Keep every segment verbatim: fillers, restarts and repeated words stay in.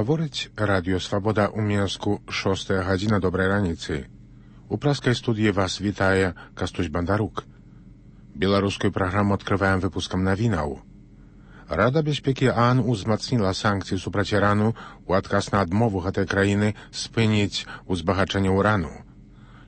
Гаворыць радыё Свабода ў Мінску, шостая гадзіна, добрай раніцы. У праскай студыі вас вітае Кастусь Бандарук. Беларускую праграму адкрываем выпускам навінаў. Рада бяспекі ААН узмацніла санкцыі супраць Ірану ў адказ на адмову гэтай краіны спыніць узбагачэнне ўрану.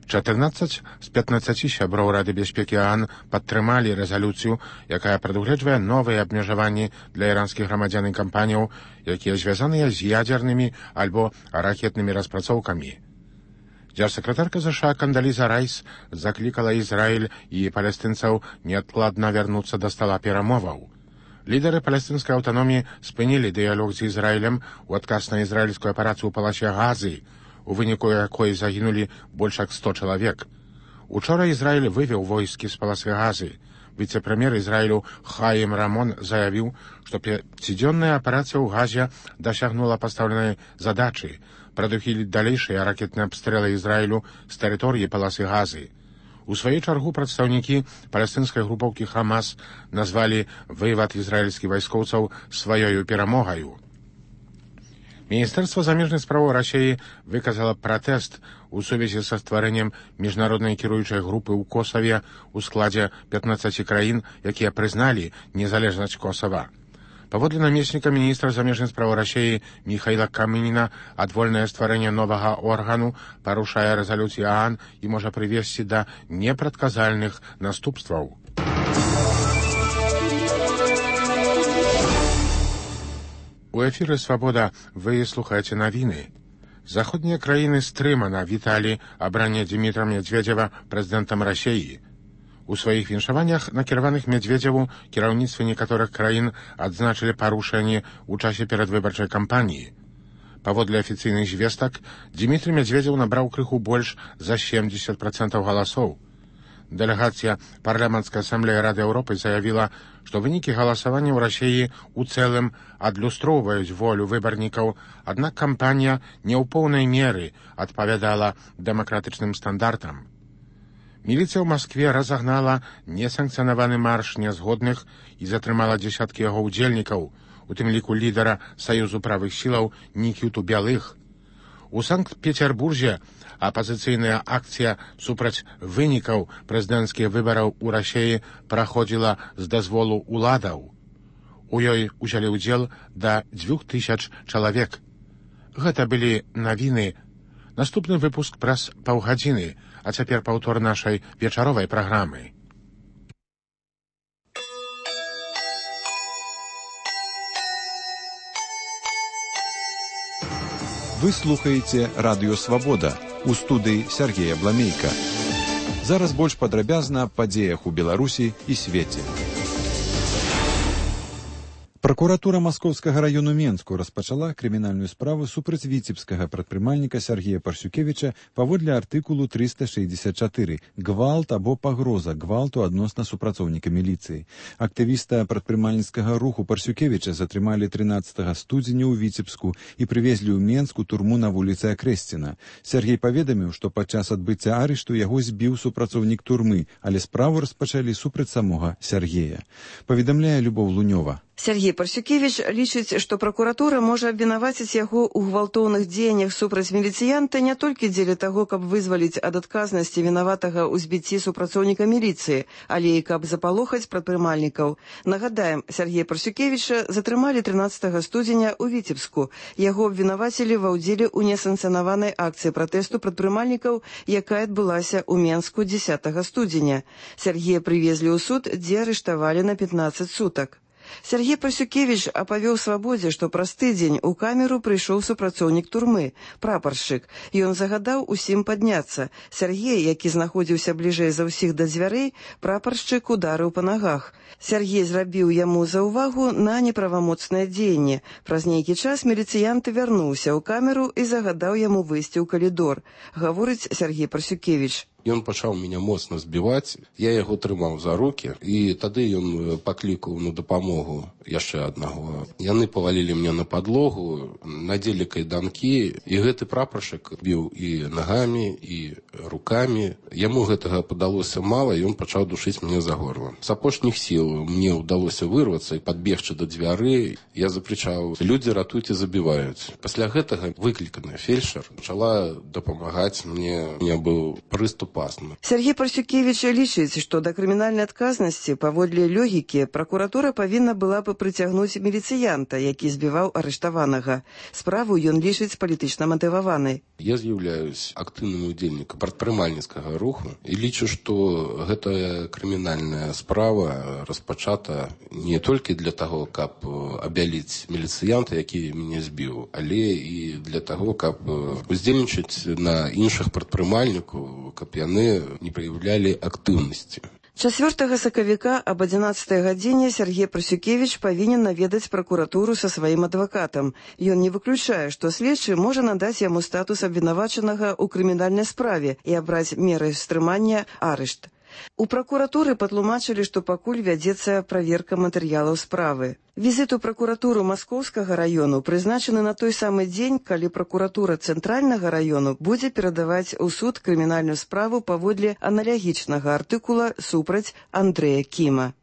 чатырнаццаць з пятнаццаці сяброў Рады бяспекі ААН падтрымалі рэзалюцыю, якая прадугледжвае новыя абмежаванні для іранскіх грамадзян і кампаніяў, якія звязаныя з ядзернымі альбо ракетнымі распрацоўкамі. Дзяржсакратарка ЗША Кандаліза Райс заклікала Ізраіль і палестынцаў неадкладна вярнуцца да стала перамоваў. Лідары палестынскай аўтаноміі спынілі дыялог з Ізраілем у адказ на ізраільскую аперацыю ў паласе Газы, у выніку якой загінулі больш як сто чалавек. Учора Ізраіль вывеў войскі з паласы Газы. Віцэ-прэм'ер Ізраілю Хаім Рамон заявіў, што пяцідзённая аперацыя ў Газе дасягнула пастаўленай задачы прадухіліць далейшыя ракетныя абстрэлы Ізраілю з тэрыторыі паласы Газы. У сваю чаргу прадстаўнікі палестынскай групоўкі Хамас назвалі вывад ізраільскіх вайскоўцаў сваёю перамогаю. Міністэрства замежных спраў Расіі выказала пратэст у сувязі са стварэннем міжнароднай кіруючай групы ў Косаве ў складзе пятнаццаці краін, якія прызналі незалежнасць Косава. Паводле намесніка міністра замежных спраў Расіі Міхаіла Камініна, адвольнае стварэнне новага органу парушае рэзалюцыі ААН і можа прывесці да непрадказальных наступстваў. У эфіры «Свабода» вы слухаеце навіны. Заходнія краіны стрымана віталі абранне Дзімітра Медведзева прэзідэнтам Расіі. У сваіх віншаваннях, накіраваных Медведзеву, кіраўніцтвы некаторых краін адзначылі парушэнні ў часе перадвыбарчай кампаніі. Паводле афіцыйных звестак, Дзімітры Медведзеў набраў крыху больш за семьдесят процентаў галасоў. Дэлегацыя парламенцкай асамблеі Рады Еўропы заявіла, што вынікі галасавання ў Расіі ў цэлым адлюстроўваюць волю выбарнікаў, аднак кампанія не ў поўнай меры адпавядала дэмакратычным стандартам. Міліцыя ў Маскве разагнала несанкцыянаваны марш нязгодных і затрымала дзесяткі яго ўдзельнікаў, у тым ліку лідара Саюзу правых сілаў Нікіту Бялых. У Санкт-Петербурзе апазіцыйная акцыя супраць вынікаў прэзідэнцкіх выбараў у Расіі праходзіла з дазволу ўладаў. У ёй узялі ўдзел да дзвюх тысяч чалавек. Гэта былі навіны. Наступны выпуск праз паўгадзіны, а цяпер паўтор нашай вечаровай праграмы. Вы слухаеце радыё «Свабода», у студыі Сергея Бламейка. Зараз больш падрабязна аб падзеях у Беларусі і свеце. Пракуратура Маскоўскага раёну Менску распачала крымінальную справу супраць віцебскага прадпрымальніка Сергея Парсюкевіча паводле артыкулу трыста шэсцьдзесят чатыры «Гвалт або пагроза гвалту адносна супрацоўніка міліцыі». Актывіста прадпрымальніцкага руху Парсюкевіча затрымалі трынаццатага студзеня ў Віцебску і прывезлі ў Менску турму на вуліцы Акрэсціна. Сергей паведаміў, што падчас адбыцця арышту яго збіў супрацоўнік турмы, але справу распачалі супраць самога Сергея. Паведамляе Любоў Лунёва. Сергей Парсюкевич лічыць, што пракуратура можа абвінаваціць яго ў гвалтоўных дзеяннях супраць міліцыянта не толькі дзеля таго, каб вызваліць ад адказнасці вінаватага ў збіцці супрацоўніка міліцыі, але і каб запалохаць прадпрымальнікаў. Нагадаем, Сергея Парсюкевіча затрымалі трынаццатага студзеня ў Віцебску. Яго абвінавацілі ва ўдзеле ў несанкцыянаванай акцыі пратэсту прадпрымальнікаў, якая адбылася ў Менску дзесятага студзеня. Сергея прывезлі ў суд, дзе арыштавалі на пятнаццаць сутак. Сергей Парсюкевич апавёў Свабодзе, што праз тыдзень у камеру прыйшоў супрацоўнік турмы, прапаршчык. Ён загадаў усім падняцца. Сергей, які знаходзіўся бліжэй за ўсіх да дзвярэй, прапаршчык ударыў па нагах. Сергей зрабіў яму заўвагу на неправамоцнае дзеянне. Праз нейкі час міліцыянт вярнуўся ў камеру і загадаў яму выйсці ў калідор, гаворыць Сергей Парсюкевич. Ён пачаў мяне моцна збіваць, я яго трымаў за рукі, і тады ён паклікаў на дапамогу яшчэ аднаго. Яны павалілі мне на падлогу, надзелі кайданкі, і гэты прапаршчык біў і нагамі, і рукамі. Яму гэтага падалося мала, і ён пачаў душыць мяне за горла. З апошніх сіл мне ўдалося вырвацца і падбегчы да дзвярэй. Я закрычаў: «Людзі, ратуйце, забіваюць». Пасля гэтага выкліканая фельчар пачала дапамагаць мне. У меня быў прыступ астмы. Сергей Парсюкевич лічыць, што да крымінальнай адказнасці паводле логікі пракуратура павінна была бы прыцягнуць міліцыянта, які збіваў арыштаванага. Справу ён лічыць палітычна матываванай. Я з'яўляюсь актыўным удзельнікам прадпрымальніцкага руху і лічу, што гэтая крымінальная справа распачата не толькі для таго, каб абяліць міліцыянта, які мяне збіў, але і для таго, каб уздзельнічаць на іншых прадпрымальнікаў, каб яны не праяўлялі актыўнасці. чацвёртага сакавіка аб адзінаццатай гадзіне Сергей Парсюкевич павінен наведаць пракуратуру са сваім адвакатам. Ён не выключае, што следчы можа надаць яму статус абвінавачанага ў крымінальнай справе і абраць меры стрымання арышт. У пракуратуры патлумачылі, што пакуль вядзецца праверка матэрыялаў справы. Візіт у пракуратуру Маскоўскага раёну прызначаны на той самы дзень, калі пракуратура Цэнтральнага раёну будзе перадаваць у суд крымінальную справу паводле аналагічнага артыкула супраць Андрэя Кіма.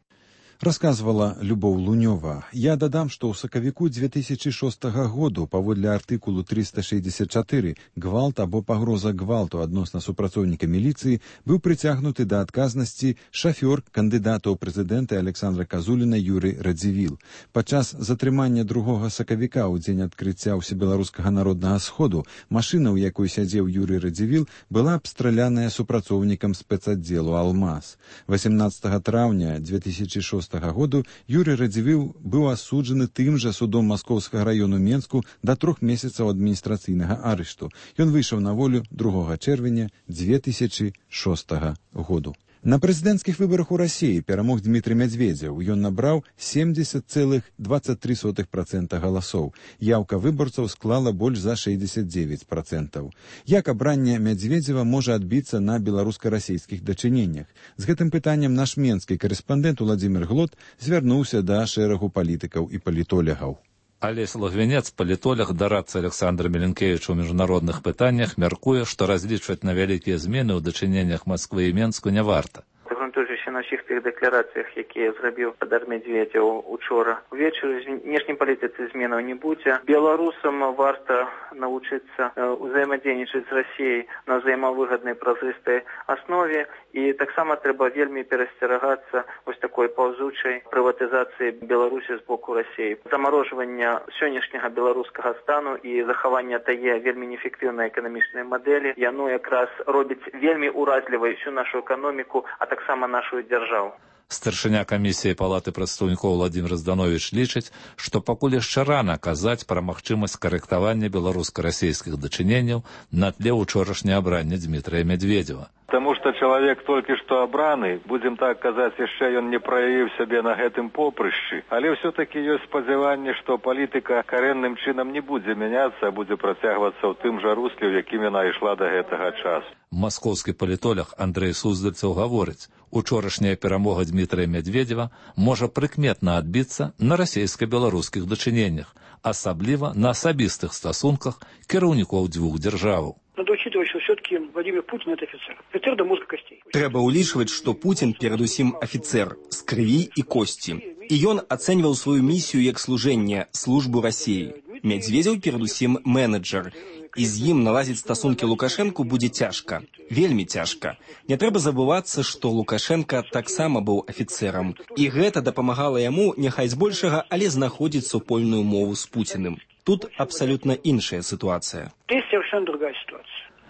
Расказвала Любоў Лунёва. Я дадам, што ў сакавіку дзве тысячы шостага году паводле артыкулу трыста шэсцьдзесят чатыры гвалт або пагроза гвалту адносна супрацоўніка міліцыі быў прыцягнуты да адказнасці шафёр кандыдата ў прэзідэнты Александра Казуліна Юрый Радзівіл. Падчас затрымання другога сакавіка ў дзень адкрыцця ўсебеларускага народнага сходу машына, у якой сядзеў Юрый Радзівіл, была абстраляная супрацоўнікам спецаддзелу «Алмаз». васемнаццатага траўня дзве тысячы шостага году Юрый Радзівіл быў асуджаны тым жа судом Маскоўскага раёну Менску да трох месяцаў адміністрацыйнага арышту. Ён выйшаў на волю другога чэрвеня дзве тысячы шостага году. На прэзідэнцкіх выбарах у Расіі перамог Дмітрый Мядзведзеў. Ён набраў семьдесят целых двадцать три сотых процента галасоў. Яўка выбарцаў склала больш за шэсцьдзесят девять процентаў. Як абранне Мядзведзева можа адбіцца на беларуска-расійскіх дачыненнях? З гэтым пытаннем наш менскі карэспандэнт Уладзімір Глот звярнуўся да шэрагу палітыкаў і палітолягаў. Алесь Лагвінец, палітолог, дарадца Александра Меленкевіча ў міжнародных пытаннях, мяркуе, што разлічваць на вялікія змены ў дачыненнях Масквы і Менску не варта. Грунтуючыся на ўсіх тых дэкларацыях, якія зрабіў Падар Мядзведзеў учора увечары, знешняй палітыцы зменаў не будзе. Беларусам варта навучыцца ўзаемадзейнічаць з Расіяй на ўзаемавыгаднай празрыстай аснове, і таксама трэба вельмі перасцерагацца вось такой паўзучай прыватызацыі Беларусі з боку Расіі. Замарожвання сённяшняга беларускага стану і захавання тае вельмі неэфектыўнай эканамічнай мадэлі, яно якраз робіць вельмі уразлівай всю нашу эканоміку, а таксама нашу дзяржаву. Старшыня камісіі палаты прадстаўнікоў Владзімір Здановіч лічыць, што пакуль яшчэ рана казаць пра магчымасць карэктавання беларуска-расійскіх дачыненняў на тле учорашняе абранне Дмітрыя Мядзведзева. Таму што чалавек толькі што абраны, будзем так казаць, яшчэ ён не праявіў сябе на гэтым попрышчы. Але ўсё-такі ёсць спадзяванне, што палітыка карэнным чынам не будзе мяняцца, а будзе працягвацца ў тым жа русле, у якім яна ішла да гэтага часу. Маскоўскі палітолог Андрэй Суздальцаў гаворыць, учорашняя перамога Дмітрыя Мядзведзева можа прыкметна адбіцца на расійска-беларускіх дачыненнях, асабліва на асабістых стасунках кіраўнікоў дзвюх дзяржаваў. Надо учитывать, что все-таки Владимир Путин – это офицер. Офицер до мозга костей. Трэба ўлічваць, што Путін перадусім афіцэр з крыві і косці. І ён ацэньваў сваю місію як служэнне службу Расіі. Мядзведзеў перадусім менеджер. І з ім наладзіць стасункі Лукашэнку будзе цяжка. Вельмі цяжка. Не трэба забывацца, што Лукашенка таксама быў афіцэрам. І гэта дапамагала яму, няхай збольшага, але знаходзіць супольную мову з Пуціным. Тут абсалютна іншая сітуацыя.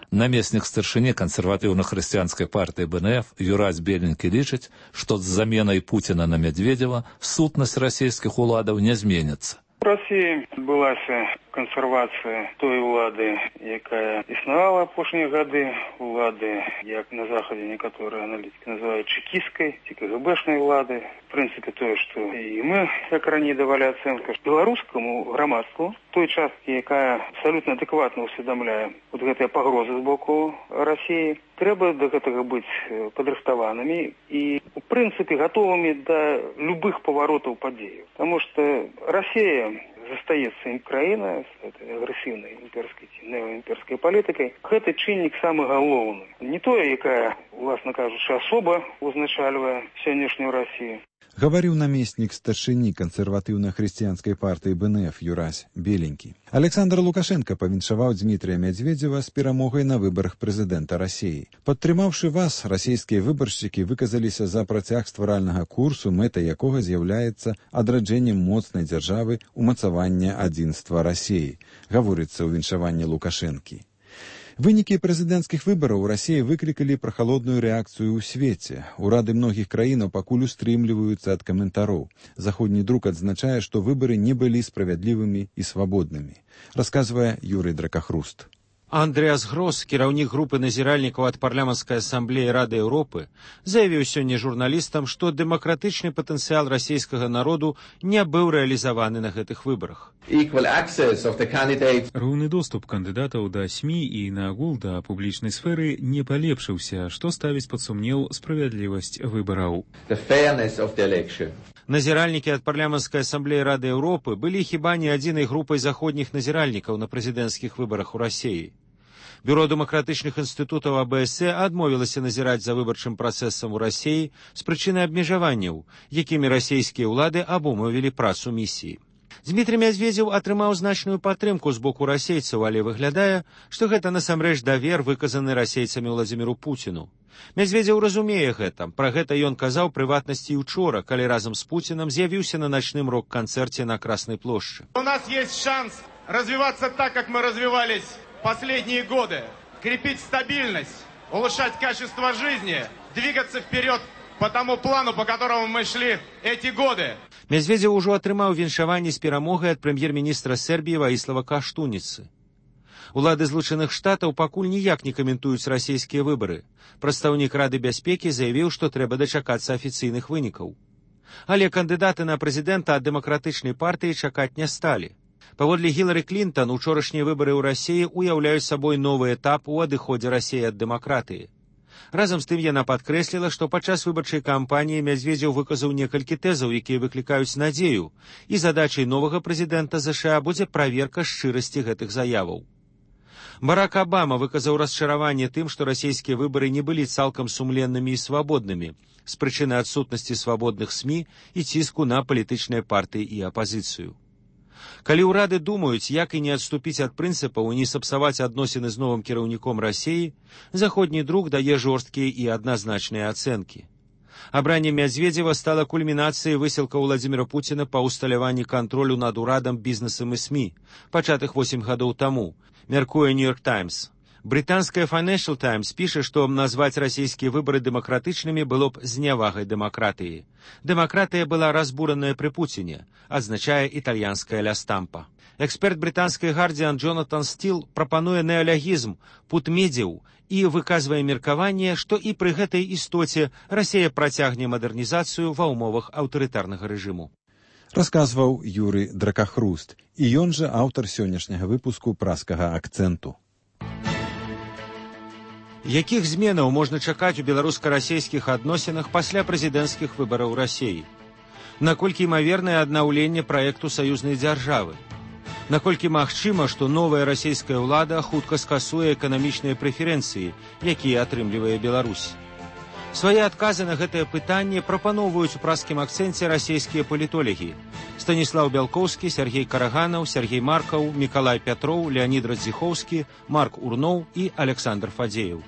Намеснік старшыні кансерватыўна-хрысціянскай партыі Бэ Эн Эф Юрась Беленькі лічыць, што з заменай Пуціна на Мядзведзева сутнасць расійскіх уладаў не зменіцца. В России отбылась кансервацыя той улады, якая існавала апошнія гады, улады, як на захадзе некаторыя аналітыкі называюць чекісткай ці КГБшнай улады. В прынцыпе, тое, што і мы, як раней давалі ацэнку, беларускаму грамадству, той часткі, якая абсалютна адэкватна ўсведамляе вот гэтыя пагрозы з боку Расіі, трэба да гэтага быць падрыхтаванымі і, у прынцыпе, гатовымі да любых паваротаў падзеяў. Таму што Расія застаецца ім краіна з этой агрэсіўнай імперскай ці неаімперскай палітыкай. Гэты чыннік самы галоўны. Не тое, якая, уласна кажучы, асоба узначальвае сённяшнюю Расію. Гаварыў намеснік старшыні кансерватыўна-хрысціянскай партыі БНФ Юрась Беленькі. Александр Лукашенко павіншаваў Дмітрия Медведзева з перамогай на выбарах прэзідэнта Расіі. Падтрымаўшы вас, расійскія выбаршчыкі выказаліся за працяг стваральнага курсу, мэтай якога з'яўляецца адраджэннем моцнай дзяржавы, умацавання адзінства Расіі, гаворыцца ў віншаванні Лукашэнкі. Вынікі прэзідэнцкіх выбараў у Расіі выклікалі прахалодную рэакцыю ў свеце. Урады многіх краінаў пакуль устрымліваюцца ад каментароў. Заходні друк адзначае, што выбары не былі справядлівымі і свабоднымі, расказвае Юрый Дракахруст. Андрэас Грос, кіраўнік групы назіральнікаў ад парламенцкай асамблеі Рады Еўропы, заявіў сёння журналістам, што дэмакратычны патэнцыял расійскага народу не быў рэалізаваны на гэтых выбарах. Роўны доступ кандыдатаў да СМІ і наогул да публічнай сферы не палепшыўся, што ставіць пад сумнеў справядлівасць выбараў. Назіральнікі ад парламенцкай асамблеі Рады Еўропы былі хіба не адзінай групай заходніх назіральнікаў на прэзідэнцкіх выбарах у Расіі. Бюро дэмакратычных інстытутаў АБС адмовілася назіраць за выбарчым працэсам у Расіі з прычыны абмежаванняў, якімі расійскія ўлады абумовілі працу місіі. Дмітрий Медведзеў атрымаў значную падтрымку з боку расейцаў, але выглядае, што гэта насамрэч давер, выказаны расейцамі Владзіміру Пуціну. Медведзеў разумее гэта. Пра гэта ён казаў прыватнасці і ўчора, калі разам з Пуціным з'явіўся на начным рок-канцэрце на Красной площади. У нас есть шанс развиваться так, как мы развивались последние годы. Крепить стабильность, улучшать качество жизни, двигаться вперед по тому плану, по которому мы шли эти годы. Медведзеў ужо атрымаў віншаванне з перамогай ад прэм'ер-міністра Сербіі Ваіслава Каштуніцы. Улады Злучаных Штатаў пакуль ніяк не каментуюць расійскія выбары. Прадстаўнік Рады бяспекі заявіў, што трэба дачакацца афіцыйных вынікаў. Але кандыдаты на прэзідэнта ад дэмакратычнай партыі чакаць не сталі. Паводле Гілары Клінтон, учорашнія выбары ў Расіі уяўляюць сабой новы этап у адыходзе Расіі ад дэмакратыі. Разам з тым яна падкрэсліла, што падчас выбарчай кампаніі Медведзеў выказаў некалькі тэзаў, якія выклікаюць надзею, і задачай новага прэзідэнта ЗША будзе праверка шчырасці гэтых заяваў. Барак Абама выказаў расчараванне тым, што расійскія выбары не былі цалкам сумленнымі і свабоднымі з прычыны адсутнасці свабодных СМІ і ціску на палітычныя партыі і апазіцыю. Калі ўрады думаюць, як і не адступіць ад прынцыпаў і не сапсаваць адносіны з новым кіраўніком Расіі, заходні друк дае жорсткія і адназначныя ацэнкі. Абранне Медведзева стала кульмінацыяй высілка Владзіміра Пуціна па ўсталяванні кантролю над урадам, бізнесам і СМІ, пачатых восем гадоў таму, мяркуе Нью-Йорк Таймс. Брытанская Financial Times піша, што назваць расійскія выбары дэмакратычнымі было б знявагай дэмакратыі. Дэмакратыя была разбураная пры Пуціне, адзначае італьянская ля Стампа. Эксперт брытанскай Гардзіан Джонатан Стіл прапануе неалягізм, путмедзеў і выказвае меркаванне, што і пры гэтай істоце Расія працягне мадэрнізацыю ва ўмовах аўтарытарнага рэжыму. Расказваў Юрый Дракахруст, і ён жа аўтар сённяшняга выпуску праскага акцэнту. Якіх зменаў можна чакаць у беларуска-расійскіх адносінах пасля прэзідэнцкіх выбараў Расіі? Наколькі імавернае аднаўленне праекту саюзнай дзяржавы? Наколькі магчыма, што новая расійская ўлада хутка скасуе эканамічныя прэферэнцыі, якія атрымлівае Беларусь? Свае адказы на гэтае пытанне прапаноўваюць у праскім акцэнце расійскія палітолагі. Станіслаў Бялкоўскі, Сергей Караганаў, Сергей Маркаў, Мікалай Пятроў, Леонід Радзіхоўскі, Марк Урноў і Александр Фадзеев.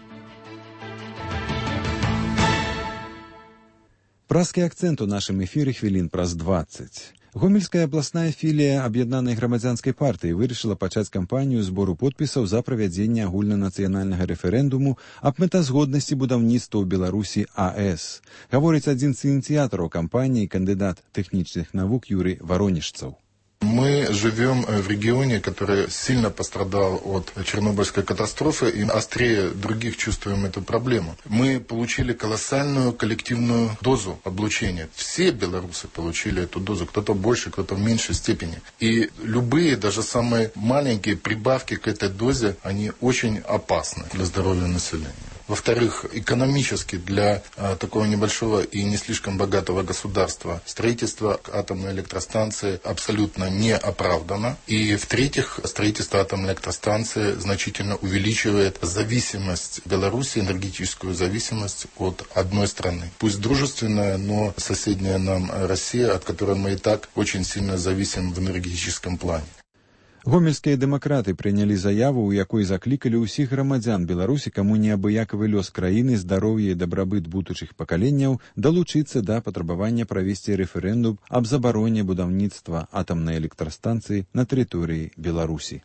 Праскі акцэнт у нашым эфіры хвілін праз дваццаць. Гомельская абласная філія аб'яднанай грамадзянскай партыі вырашыла пачаць кампанію збору подпісаў за правядзенне агульнанацыянальнага рэферэндуму аб мэтазгоднасці будаўніцтва ў Беларусі АЭС. Гаворыць адзін з ініцыятараў кампаніі, кандыдат тэхнічных навук Юрый Варонежцаў. Мы Мы живем в регионе, который сильно пострадал от Чернобыльской катастрофы, и острее других чувствуем эту проблему. Мы получили колоссальную коллективную дозу облучения. Все белорусы получили эту дозу, кто-то больше, кто-то в меньшей степени. И любые, даже самые маленькие прибавки к этой дозе, они очень опасны для здоровья населения. Во-вторых, экономически для а, такого небольшого и не слишком богатого государства строительство атомной электростанции абсолютно не оправдано. И в-третьих, строительство атомной электростанции значительно увеличивает зависимость Беларуси, энергетическую зависимость от одной страны. Пусть дружественная, но соседняя нам Россия, от которой мы и так очень сильно зависим в энергетическом плане. Гомельскія дэмакраты прынялі заяву, у якой заклікалі ўсіх грамадзян Беларусі, каму неабыякавы лёс краіны, здароўе і дабрабыт будучых пакаленняў, далучыцца да патрабавання правесці рэферэндум аб забароне будаўніцтва атамнай электрастанцыі на тэрыторыі Беларусі.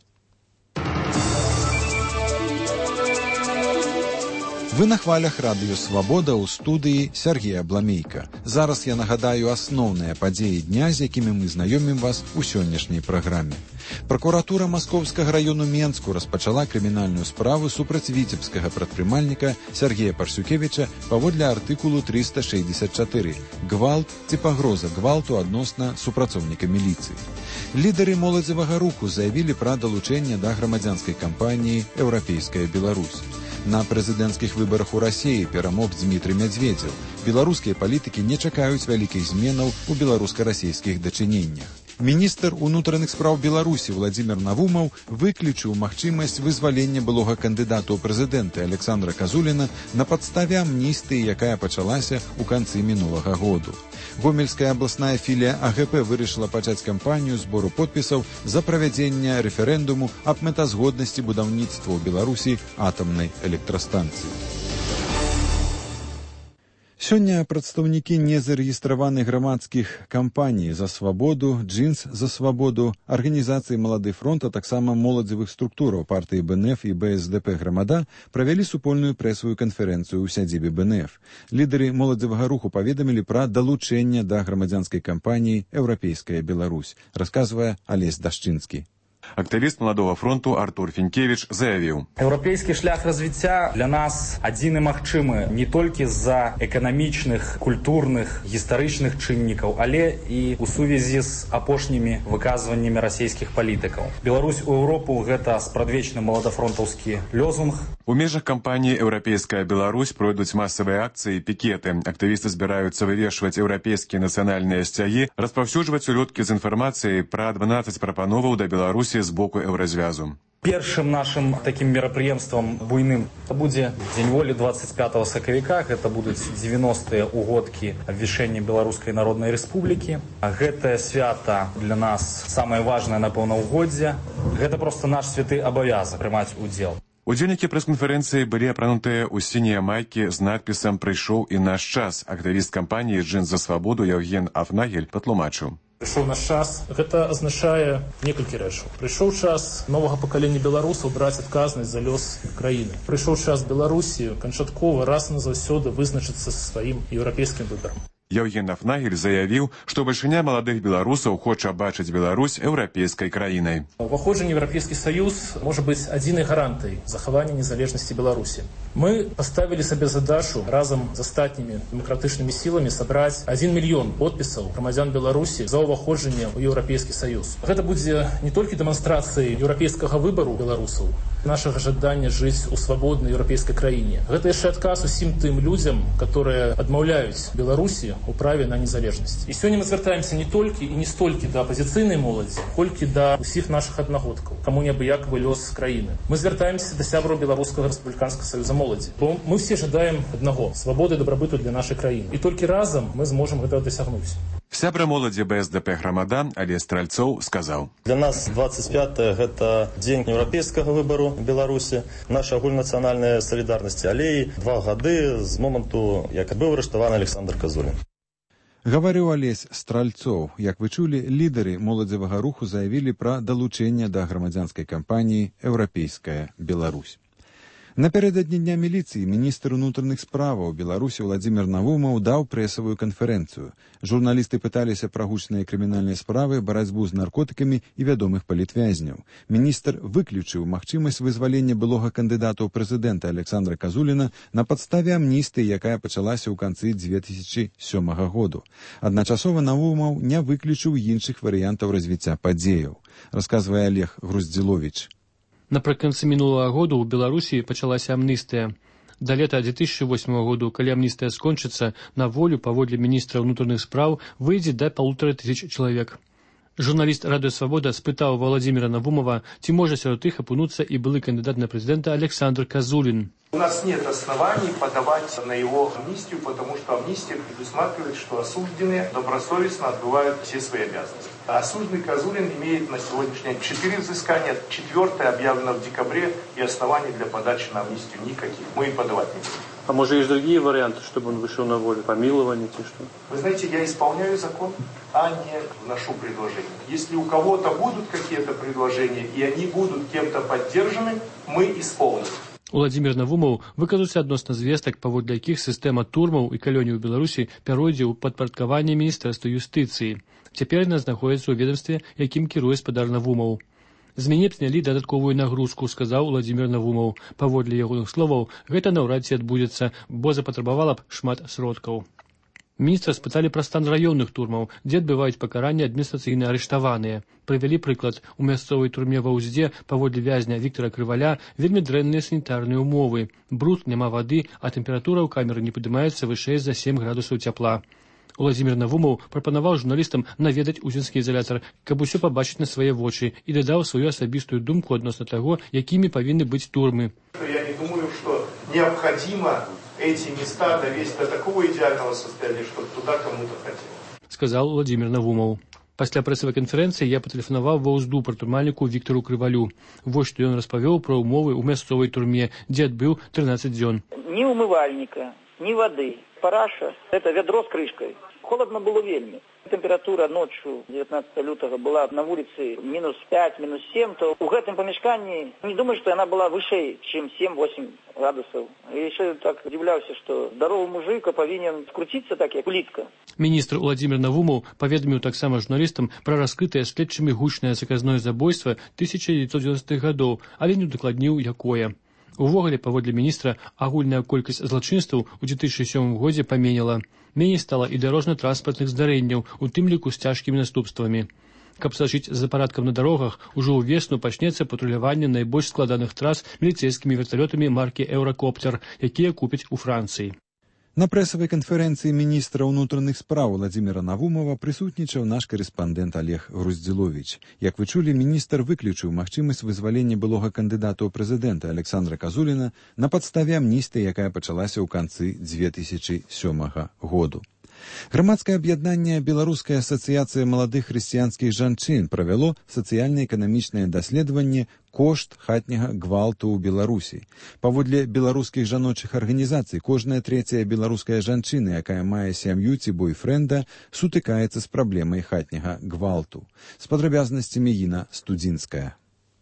Вы на хвалях радыё «Свабода» ў студыі Сергея Бламейка. Зараз я нагадаю асноўныя падзеі дня, з якімі мы знаёмім вас у сённяшняй праграме. Пракуратура Маскоўскага раёну Менску распачала крымінальную справу супраць віцебскага прадпрымальніка Сергея Парсюкевіча паводле артыкулу трыста шэсцьдзесят чатыры «Гвалт ці пагроза гвалту адносна супрацоўніка міліцыі». Лідары моладзевага руху заявілі пра далучэнне да грамадзянскай кампаніі «Еўрапейская Беларусь». На прэзідэнцкіх выбарах у Расіі перамог Дмітрый Мядзведзеў. Беларускія палітыкі не чакаюць вялікіх зменаў у беларуска-расійскіх дачыненнях. Міністр унутраных спраў Беларусі Владзімір Навумаў выключыў магчымасць вызвалення былога кандыдата ў прэзідэнты Александра Казуліна на падставе амністыі, якая пачалася ў канцы мінулага году. Гомельская абласная філія А Г П вырашыла пачаць кампанію збору подпісаў за правядзенне рэферэндуму аб мэтазгоднасці будаўніцтва ў Беларусі атамнай электрастанцыі. Сёння прадстаўнікі незарэгістраваных грамадскіх кампаній «За свабоду», «Джинс за свабоду», арганізацыі «Малады фронт», а таксама моладзевых структураў партыі Б Н Ф і Б С Д П «Грамада» правялі супольную прэсавую канферэнцыю ў сядзібе Б Н Ф. Лідары моладзевага руху паведамілі пра далучэнне да грамадзянскай кампаніі «Еўрапейская Беларусь», расказвае Алесь Дашчынскі. Актывіст Маладога фронту Артур Фінкевіч заявіў: Еўрапейскі шлях развіцця для нас адзін і магчымы не толькі з-за эканамічных, культурных, гістарычных чыннікаў, але і ў сувязі з апошнімі выказваннямі расійскіх палітыкаў. Беларусь у Еўропу — гэта спрадвечны маладафронтаўскі лёзунг. У межах кампаніі «Еўрапейская Беларусь» пройдуць масавыя акцыі і пікеты. Актывісты збіраюцца вывешваць еўрапейскія нацыянальныя сцягі, распаўсюджваць улёткі з інфармацыяй пра дванаццаць прапановаў да Беларусі з боку еўразвязу. Першым нашым такім мерапрыемствам буйным будзе Дзень волі двадцать пятого сакавіка. Гэта будуць дзевяностыя ўгодкі абвяшчэння Беларускай Народнай Рэспублікі. Гэтае свята для нас самае важнае, напэўна, ўгоддзе. Гэта проста наш святы абавязак прымаць удзел. Удзельнікі прэс-канферэнцыі былі апранутыя ў сінія майкі з надпісам «Прыйшоў і наш час». Актывіст кампаніі «Джинс за свабоду» Яўген Афнагель патлумачыў. Прыйшоў наш час. Гэта азначае некалькі рэчаў. Прыйшоў час новага пакалення беларусаў браць адказнасць за лёс краіны. Прыйшоў час Беларусі канчаткова раз і назаўсёды вызначыцца са сваім еўрапейскім выбарам. Яўген Афнагель заявіў, што бальшыня маладых беларусаў хоча бачыць Беларусь еўрапейскай краінай. Уваходжанне ў Еўрапейскі Саюз можа быць адзінай гарантыяй захавання незалежнасці Беларусі. Мы паставілі сабе задачу разам з астатнімі дэмакратычнымі сіламі сабраць адзін мільён подпісаў грамадзян Беларусі за ўваходжанне ў Еўрапейскі Саюз. Гэта будзе не толькі дэманстрацыяй еўрапейскага выбару беларусаў, нашага жадання жыць у свабоднай еўрапейскай краіне. Гэта яшчэ адказ усім тым людзям, которые адмаўляюць Беларусі у праве на незалежнасць. І сёння мы звяртаемся не толькі і не столькі да апазіцыйнай моладзі, колькі да ўсіх нашых аднагодкаў, каму неабыякавы лёс краіны. Мы звяртаемся да сябраў Беларускага рэспубліканскага саюза моладзі, бо мы все жадаем аднаго — свабоды і дабрабыту для нашай краіны. І толькі разам мы зможам гэтага дасягнуць. Сябра моладзі Б С Д П «Грамада» Алесь Стральцоў сказаў: Для нас двадцать пятое — гэта дзень еўрапейскага выбару Беларусі, наша агульнацыянальная салідарнасць, але і два гады з моманту, як быў арыштаваны Александр Казулін. Гаварыў Алесь Стральцоў. Як вы чулі, лідары моладзевага руху заявілі пра далучэнне да грамадзянскай кампаніі «Еўрапейская Беларусь». Напярэдадні дня міліцыі міністр унутраных справаў Беларусі Владзімір Навумаў даў прэсавую канферэнцыю. Журналісты пыталіся пра гучныя крымінальныя справы, барацьбу з наркотыкамі і вядомых палітвязняў. Міністр выключыў магчымасць вызвалення былога кандыдата ў прэзідэнта Александра Казуліна на падставе амністыі, якая пачалася ў канцы дзве тысячы сёмага году. Адначасова Навумаў не выключыў іншых варыянтаў развіцця падзеяў, расказвае Олег Груздзіловіч. Напрыканцы мінулага году ў Беларусі пачалася амністыя. Да лета две тысячи восьмого году, калі амністыя скончыцца, на волю, паводле міністра ўнутраных спраў, выйдзе да полутора тысяч чалавек. Журналіст «Радыё Свабода» спытаў Владзіміра Навумова, ці можа сярод іх апынуцца і былы кандыдат на прэзідэнта Александр Казулин. У нас нет оснований подавать на его амнистию, потому что амнистия предусматривает, что осужденные добросовестно отбывают все свои обязанности. А осужденный Казулин имеет на сегодняшний день четыре взыскания, четвертое объявлено в декабре, и оснований для подачи на амнистию никаких. Мы и подавать не будем. А может, есть другие варианты, чтобы он вышел на волю? Помилование, те что? Вы знаете, я исполняю закон, а не вношу предложения. Если у кого-то будут какие-то предложения, и они будут кем-то поддержаны, мы исполним. Владзімір Навумаў выказаўся адносна звестак, паводле якіх сістэма турмаў і калоній у Беларусі пяройдзе ў падпарадкаванне міністэрства юстыцыі. Цяпер яна знаходзіцца ў ведомстве, якім кіруе спадар Навумаў. З мяне б знялі дадатковую нагрузку, сказаў Владзімір Навумаў. Паводле ягоных словаў, гэта наўрад ці адбудзецца, бо запатрабавала б шмат сродкаў. Міністра спыталі пра стан раённых турмаў, дзе адбываюць пакаранне адміністрацыйна арыштаваныя. Прывялі прыклад. У мясцовай турме ва Ўзде, паводле вязня Віктара Крываля, вельмі дрэнныя санітарныя ўмовы. Бруд, няма вады, а тэмпература ў камеры не падымаецца вышэй за сем градусаў цяпла. Владзімір Навумаў прапанаваў журналістам наведаць узенскі изолятор, каб усё пабачыць на свае вочы, і дадаў сваю асабістую думку адносна таго, якімі павінны быць турмы. Я не думаю, что необходимо эти места довести до такого идеального состояния, чтобы туда кому-то хотелось. Сказал Владзімір Навумаў. Пасля прэсавай канферэнцыі я патэлефанаваў ва Ўзду прадпрымальніку Віктару Крывалю. Вось што ён распавёў пра ўмовы ў мясцовай турме, дзе адбыў тринадцать дзён. Ни умывальника, ни воды. Параша – это ведро с крышкой. Холодно было вельми. Температура ночью девятнадцатого лютого была на улице минус пять, минус семь, то у гэтым помешкании не думаю, что она была выше, чем семь-восемь градусов. И еще так удивлялся, что здоровый мужик повинен скрутиться так, как улитка. Міністр Владзімір Навумаў паведаміў таксама журналістам пра раскрытае следчымі гучнае заказное забойства тысяча девятьсот девяностых гадоў, але не удакладніў, якое. Увогуле, паводле міністра, агульная колькасць злачынстваў у две тысячи сёмым годзе паменела. Меней стала і дарожна-транспартных здарэнняў, у тым ліку з цяжкімі наступствамі. Каб сачыць за парадкам на дарогах, ужо ўвесну пачнецца патруляванне найбольш складаных трас міліцэйскімі верталётамі маркі «Еўракоптер», якія купяць у Францыі. На прэсавай канферэнцыі міністра ўнутраных спраў Владзіміра Навумова прысутнічаў наш карэспандэнт Олег Груздзіловіч. Як вы чулі, міністр выключыў магчымасць вызвалення былога кандыдата ў прэзідэнта Александра Казуліна на падставе амністыі, якая пачалася ў канцы две тысячи сёмага году. Грамадскае аб'яднанне Беларуская асацыяцыя маладых хрысціянскіх жанчын правяло сацыяльна-эканамічнае даследаванне «Кошт хатняга гвалту ў Беларусі». Паводле беларускіх жаночых арганізацый, кожная трэцяя беларуская жанчына, якая мае сям'ю ці бойфрэнда, сутыкаецца з праблемай хатняга гвалту. З падрабязнасцямі Іна Студзінская.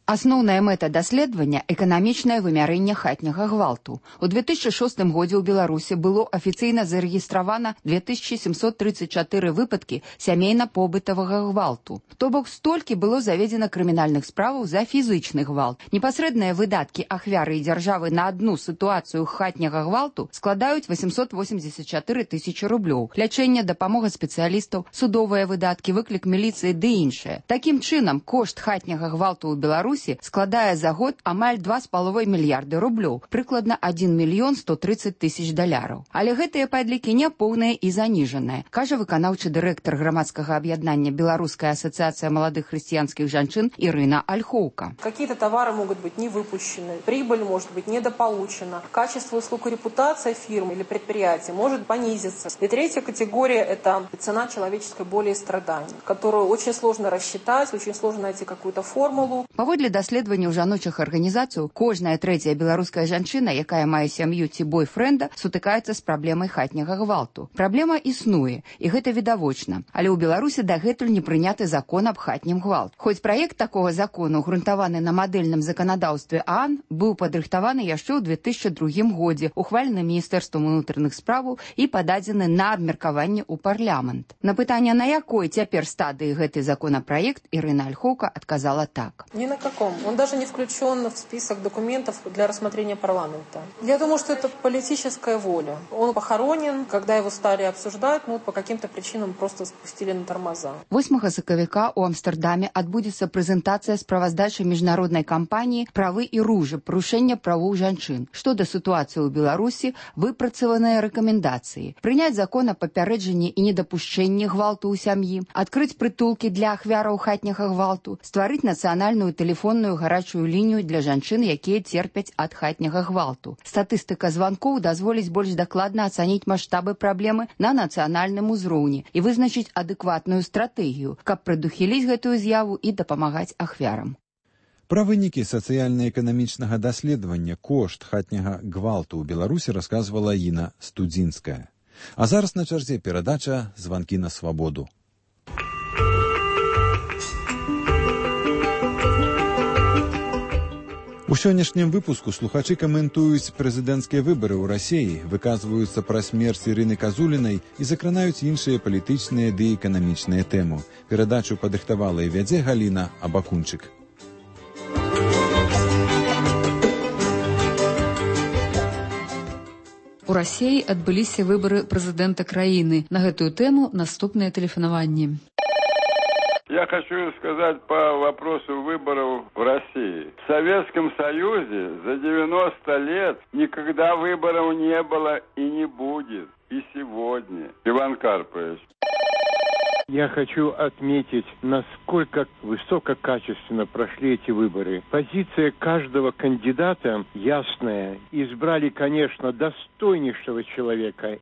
Асноўная мэта даследавання – эканамічнае вымярэнне хатняга гвалту. У две тысячи шостым годзе ў Беларусі было афіцыйна зарэгістравана две тысячи семьсот тридцать четыре выпадкі сямейна-побытавага гвалту. То бок столькі было заведзена крымінальных справаў за фізычны гвалт. Непасрэдныя выдаткі ахвяры і дзяржавы на адну сітуацыю хатняга гвалту складаюць восемьсот восемьдесят четыре тысячи рублёў. Лячэнне, дапамога спецыялістаў, судовыя выдаткі, выклік міліцыі ды іншае. Такім чынам, кошт хатняга гвалту ў Беларусі складае за год амаль два з паловай мільярды рублёў, прыкладна один мільён сто тридцать тысяч даляраў. Але гэтыя падлікі няпоўныя і заніжаныя, кажа выканаўчы дырэктар грамадскага аб'яднання Беларуская асацыяцыя маладых хрысціянскіх жанчын Ирина Ольховка. Какие-то товары могут быть не выпущены, прибыль может быть недополучена, качество услуг и репутация фирмы или предприятия может понизиться. И третья категория – это цена человеческой боли и страданий, которую очень сложно рассчитать, очень сложно найти какую-то формулу. Паводле Паводле даследаванняў жаночых арганізацый, кожная трэцяя беларуская жанчына, якая мае сям'ю ці бойфрэнда, сутыкаецца з праблемай хатняга гвалту. Праблема існуе, і гэта відавочна. Але ў Беларусі дагэтуль не прыняты закон аб хатнім гвалт. Хоць праект такога закону, грунтаваны на мадэльным заканадаўстве ААН, быў падрыхтаваны яшчэ ў две тысячы другім годзе, ухвалены Міністэрствам унутраных справаў і пададзены на абмеркаванне ў парламент. На пытанне, на якой цяпер стадыі гэты законопроект, Ирина Ольховка отказала так. Ни на каком. Он даже не включен в список документов для рассмотрения парламента. Я думаю, что это политическая воля. Он похоронен, когда его стали обсуждать, ну, по каким-то причинам просто спустили на тормоза. восьмага сакавіка у Амстердаме адбудзецца прэзентацыя справаздачы міжнароднай кампаніі «Правы і ружы. Парушэння правоў жанчын». Што да сітуацыі ў Беларусі, выпрацаваныя рэкамендацыі. Прыняць закон о папярэджанні і недапушчэнні гвалту ў сям'і, адкрыць прытулкі для ахвяраў хатняга гвалту, стварыць нацыянальную тэлефонную гарачую лінію для жанчын, якія церпяць ад хатняга гвалту. Статыстыка званкоў дазволіць больш дакладна ацаніць маштабы праблемы на нацыянальным узроўні і вызначыць адэкватную стратэгію, каб прадухіліць гэтую з'яву і дапамагаць ахвярам. Пра вынікі сацыяльна-эканамічнага даследавання кошт хатняга гвалту ў Беларусі расказвала Іна Студзінская. А зараз на чарзе перадача «Званкі на свабоду». У сённяшнім выпуску слухачы каментуюць прэзідэнцкія выбары ў Расіі, выказваюцца пра смерць Ірыны Казулінай і закранаюць іншыя палітычныя ды эканамічныя тэмы. Перадачу падрыхтавала і вядзе Галіна Абакунчык. У Расіі адбыліся выбары прэзідэнта краіны. На гэтую тэму наступныя тэлефанаванні. Я хочу сказать по вопросу выборов в России. В Советском Союзе за девяносто лет никогда выборов не было и не будет. И сегодня. Иван Карпович. Я хочу отметить, насколько высококачественно прошли эти выборы. Позиция каждого кандидата ясная. Избрали, конечно, достойнейшего человека.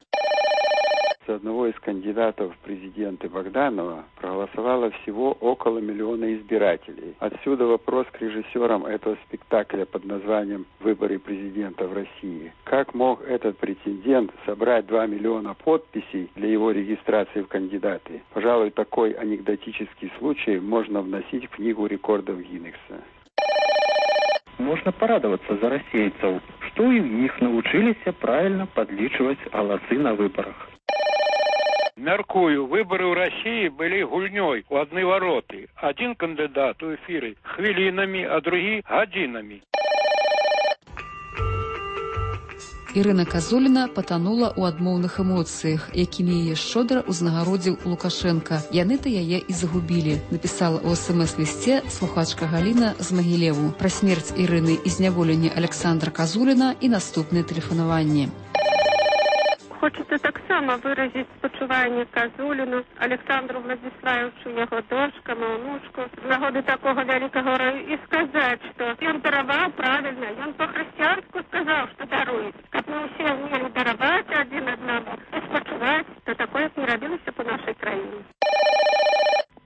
За одного из кандидатов в президенты Богданова проголосовало всего около миллиона избирателей. Отсюда вопрос к режиссерам этого спектакля под названием «Выборы президента в России». Как мог этот претендент собрать два миллиона подписей для его регистрации в кандидаты? Пожалуй, такой анекдотический случай можно вносить в книгу рекордов Гиннесса. Можно порадоваться за российцев, что у них научились правильно подлічивать голосы на выборах. Мяркую, выборы ў России были гульнёй у одной вороты. Один кандидат у эфиры хвилинами, а другие годинами. Ірына Казуліна патанула ў адмоўных эмоцыях, якімі яе шчодра ўзнагародзіў Лукашенка. Яны-то яе і загубілі, напісала ў эс-эм-эс-лісце слухачка Галіна з Магілеву. Пра смерць Ірыны і зняволенне Александра Казуліна і наступныя тэлефанаванні. Хочется таксама выразить спачуванне Казуліну, Александру Владиславовичу, яго дочкам, унучку, з нагоды такого вялікага горя, і сказаць, што ён дараваў правильно, ён по-хрысціянску сказаў, што даруе. Каб мы ўсе ўмелі дараваць адзін аднаму і спачуваць, то такое б не рабілася па нашай краіне.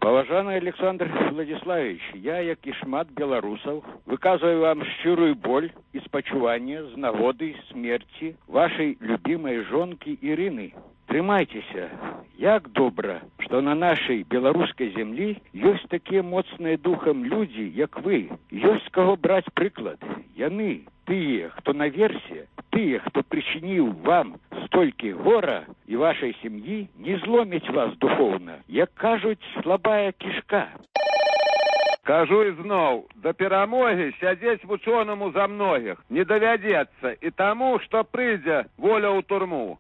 Паважаны Александр Владиславович, я, як і шмат беларусаў, выказваю вам шчырую боль і спачуванне з нагоды смерці вашай любімай жонкі Ірыны. Трымайцеся. Як добра, што на нашай беларускай зямлі ёсць такія моцныя духам людзі, як вы. Ёсць каго браць прыклад. Яны, тыя, хто наверсе, тыя, хто прычыніў вам столькі гора і вашай сям'і, не зломяць вас духоўна. Як кажуць, слабая кішка. Кажу ізноў, да перамогі сядзець вучонаму за многіх не давядзецца і таму, што прыйдзе воля ў турму.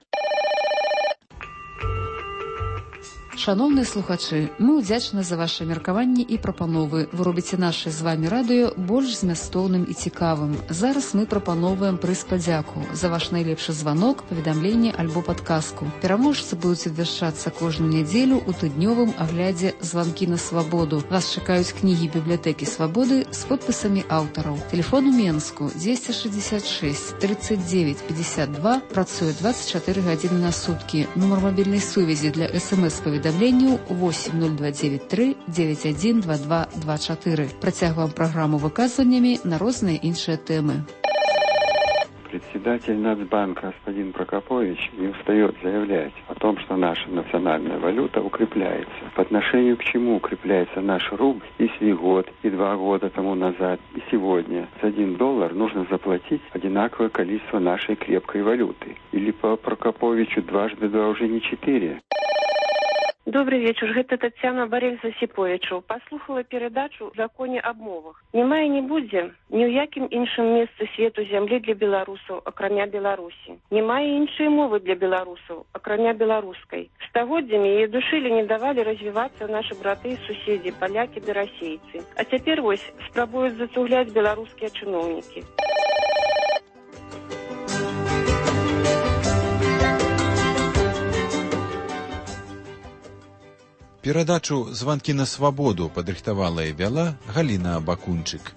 Шановныя слухачы, мы ўдзячны за ваши меркаванні і прапановы. Вы робіце наше з вами радыё больш змястоўным і цікавым. Зараз мы прапаноўваем прыз падзяку за ваш найлепшы званок, паведамленне альбо падказку. Пераможцы будуць абвяшчацца кожную нядзелю ў тыднёвым аглядзе «Званкі на свабоду». Вас чакаюць кнігі бібліятэкі свабоды з подпісамі аўтараў. Телефон у Менску двести шестьдесят шесть тридцать девять пятьдесят два, працуе двадцать четыре гадзіны на суткі. Нумар мабільнай сувязі для эс эм эс-паведамлення паведамленняў восемь ноль два девять три девять один два два два четыре. Працягваем праграму выказваннямі на розныя іншыя тэмы. Председатель Нацбанка господин Прокопович не устает заявлять о том, что наша национальная валюта укрепляется. По отношению к чему укрепляется наш рубль, если год и два года тому назад, и сегодня за один доллар нужно заплатить одинаковое количество нашей крепкой валюты? Или по Прокоповичу дважды два уже не четыре? Добрый вечер, гэта Татьяна Борис Засиповичу. Послухала передачу о законе об мовах. Нема і не будзе ні ў якім іншым месцы свету зямлі для беларусаў, акрамя Беларусі. Нема і іншай мовы для беларусаў, акрамя беларускай. Стагоддзямі яе душылі, не давалі развівацца нашы браты і суседзі, палякі ды расейцы. А цяпер вось спрабуюць зацугляць беларускія чыноўнікі. Перадачу «Званкі на свабоду» падрыхтавала і вяла Галіна Бакунчык.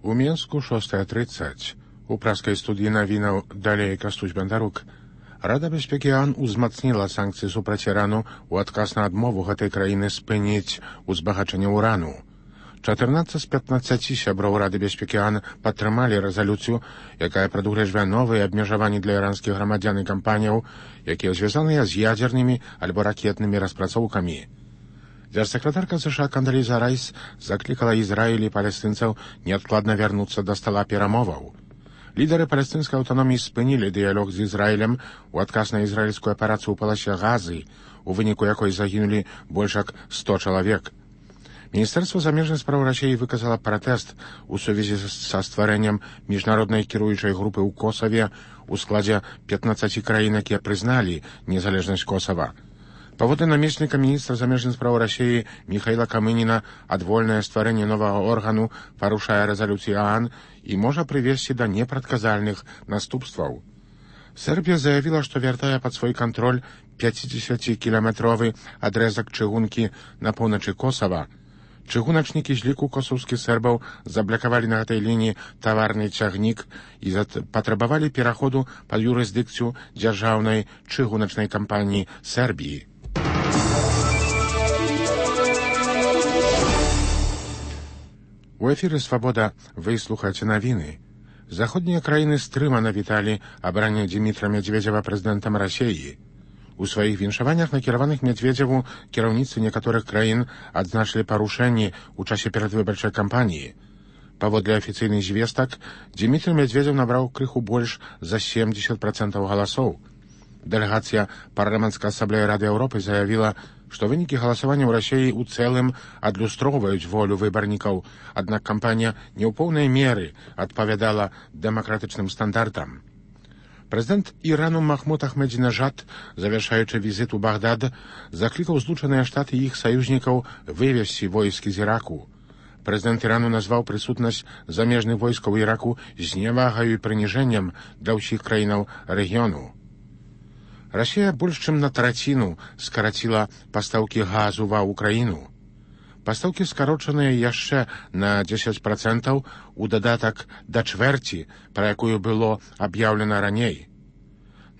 У Менску шостая тридцать. У праскай студыі навінаў далей Кастусь Бандарук. Рада бяспекі ООН узмацніла санкцыі супраць Ірану ў адказ на адмову гэтай краіны спыніць узбагачэнне ўрану. чатырнаццаць з пятнаццаці сяброў Рады бяспекі ООН падтрымалі рэзалюцыю, якая прадугледжвае новыя абмежаванні для іранскіх грамадзян і кампаніяў, якія звязаныя з ядзернымі альбо ракетнымі распрацоўкамі. Дзяржсакратарка США Кандаліза Райс заклікала Ізраіль і палестынцаў неадкладна вярнуцца да стала перамоваў. Лідары палестынскай аўтаноміі спынілі дыялог з Ізраілем у адказ на ізраільскую аперацыю ў паласе Газы, у выніку якой загінулі больш як сто чалавек. Міністэрства замежных спраў Расіі выказала пратэст у сувязі са стварэннем міжнароднай кіруючай групы ў Косаве у складзе пятнаццаці краін, якія прызналі незалежнасць Косава. Паводле намесніка міністра замежных спраў Расіі Міхаіла Камыніна, адвольнае стварэнне новага органу парушае рэзалюцыі ООН і можа прывесці да непрадказальных наступстваў. Сербія заявіла, што вяртае пад свой кантроль пяцідзесяцікіламетровы адрэзак чыгункі на поўначы Косава. Чыгуначнікі з ліку косаўскіх сербаў заблакавалі на гэтай лініі таварны цягнік і патрабавалі пераходу пад юрысдыкцыю дзяржаўнай чыгуначнай кампаніі Сербіі. У эфіры «Свабода» вы слухаеце навіны. Заходнія краіны стрымана віталі абранне Дзімітра Медведзева прэзідэнтам Расіі. У сваіх віншаваннях, накіраваных Медведзеву, кіраўніцтвы некаторых краін адзначылі парушэнні ў часе перадвыбарчай кампаніі. Паводле афіцыйных звестак, Дзімітр Медведзев набраў крыху больш за семьдесят процентаў галасоў. Дэлегацыя парламенцкай асамблеі Рады Еўропы заявіла, што вынікі галасавання ў Расіі ў цэлым адлюстроўваюць волю выбарнікаў, аднак кампанія не ў поўнай меры адпавядала дэмакратычным стандартам. Прэзідэнт Ірану Махмуд Ахмедзінежад, завяршаючы візіт у Багдад, заклікаў Злучаныя Штаты і іх саюзнікаў вывесці войскі з Іраку. Прэзідэнт Ірану назваў прысутнасць замежных войскаў Іраку зневагаю і прыніжэннем для ўсіх краінаў рэгіёну. Расія больш чым на траціну скараціла пастаўкі газу ва ўкраіну. Пастаўкі скарочаныя яшчэ на дзесяць процентаў у дадатак да чвэрці, пра якую было аб'яўлена раней.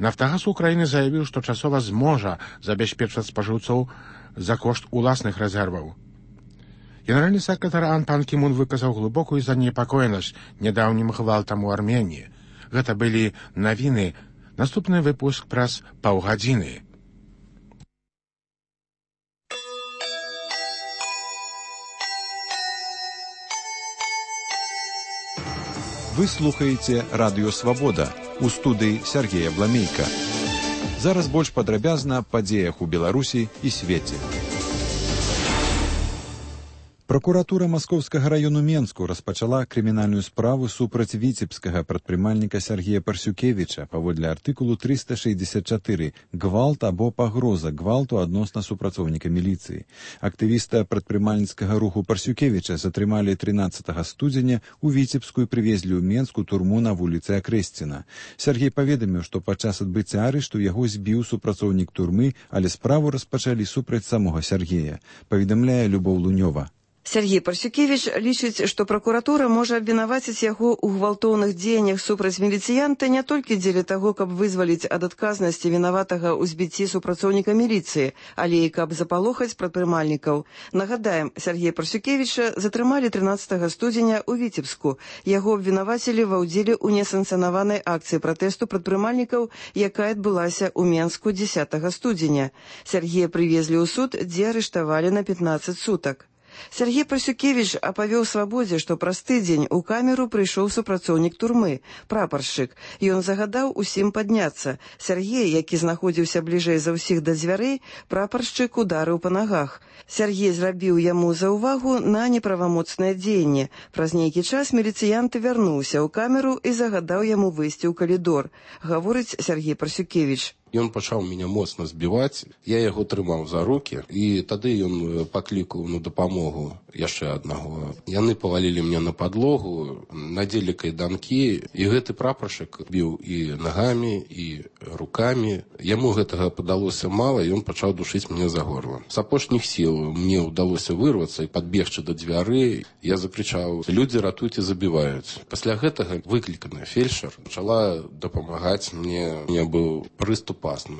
Нафтагаз Украіны заявіў, што часова зможа забяспечваць спажыўцоў за кошт уласных рэзерваў. Генеральны сакратар ООН Пан Кі Мун выказаў глыбокую занепакоенасць нядаўнім гвалтам у Арменіі. Гэта былі навіны. Наступны выпуск праз паўгадзіны. Вы слухаеце радыё «Свабода» у студыі Сергея Бламейка. Зараз больш падрабязна аб падзеях у Беларусі і свеце. Пракуратура Маскоўскага раёну Менску распачала крымінальную справу супраць віцебскага прадпрымальніка Сергея Парсюкевіча паводле артыкулу трыста шэсцьдзесят чатыры «Гвалт або пагроза гвалту адносна супрацоўніка міліцыі». Актывіста прадпрымальніцкага руху Парсюкевіча затрымалі трынаццатага студзеня у Віцебску і прывезлі ў Менску турму на вуліцы Акрэсціна. Сергей паведаміў, што падчас адбыцця арышту яго збіў супрацоўнік турмы, але справу распачалі супраць самога Сергея. Паведамляе Любоў Лунёва. Сергей Парсюкевич лічыць, што пракуратура можа абвінаваціць яго ў гвалтоўных дзеяннях супраць міліцыянта не толькі дзеля таго, каб вызваліць ад адказнасці вінаватага ў збіцці супрацоўніка міліцыі, але і каб запалохаць прадпрымальнікаў. Нагадаем, Сергея Парсюкевіча затрымалі трынаццатага студзеня ў Віцебску. Яго абвінавацілі ва ўдзеле ў несанкцыянаванай акцыі пратэсту прадпрымальнікаў, якая адбылася ў Менску дзесятага студзеня. Сергея прывезлі ў суд, дзе арыштавалі на пятнаццаць сутак. Сергей Парсюкевич апавёў свабодзе, што праз тыдзень у камеру прыйшоў супрацоўнік турмы, прапаршчык. Ён загадаў усім падняцца. Сергей, які знаходзіўся бліжэй за ўсіх да дзвярэй, прапаршчык ударыў па нагах. Сергей зрабіў яму заўвагу на неправамоцнае дзеянне. Праз нейкі час міліцыянт вярнуўся ў камеру і загадаў яму выйсці ў калідор, гаворыць Сергей Парсюкевич. Ён пачаў мяне моцна збіваць, я яго трымаў за рукі, і тады ён паклікаў на дапамогу яшчэ аднаго. Яны павалілі мне на падлогу, надзелі кайданкі, і гэты прапаршчык біў і нагамі, і рукамі. Яму гэтага падалося мала, і ён пачаў душыць мне за горла. З апошніх сіл мне ўдалося вырвацца і падбегчы да дзвярэй. Я закрычаў: «Людзі, ратуйце, забіваюць». Пасля гэтага выкліканая фельчар пачала дапамагаць мне. У меня быў прыступ.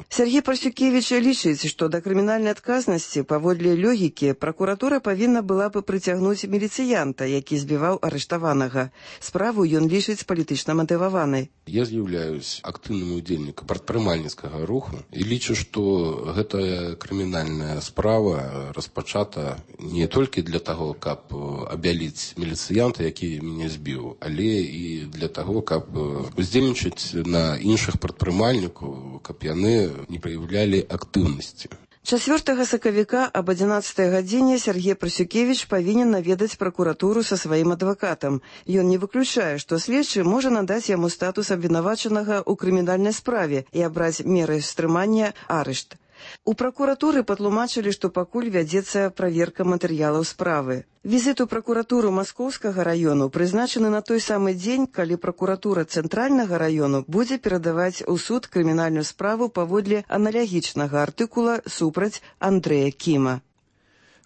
Сергей Парсюкевич лічыць, што да крымінальнай адказнасці паводле логікі пракуратура павінна была бы прыцягнуць міліцыянта, які збіваў арыштаванага. Справу ён лічыць палітычна матываванай. Я з'яўляюсь актыўным удзельнікам прадпрымальніцкага руху і лічу, што гэтая крымінальная справа распачата не толькі для таго, каб абяліць міліцыянта, які мяне збіў, але і для таго, каб уздзельнічаць на іншых прадпрымальнікаў, каб яны не праяўлялі актыўнасці. чацвёртага сакавіка аб адзінаццатай гадзіне Сергей Парсюкевич павінен наведаць пракуратуру са сваім адвакатам. Ён не выключае, што следчы можа надаць яму статус абвінавачанага ў крымінальнай справе і абраць меры стрымання арышт. У пракуратуры патлумачылі, што пакуль вядзецца праверка матэрыялаў справы. Візіт у пракуратуру Маскоўскага раёну прызначаны на той самы дзень, калі пракуратура Цэнтральнага раёну будзе перадаваць у суд крымінальную справу паводле аналогічнага артыкула супраць Андрэя Кіма.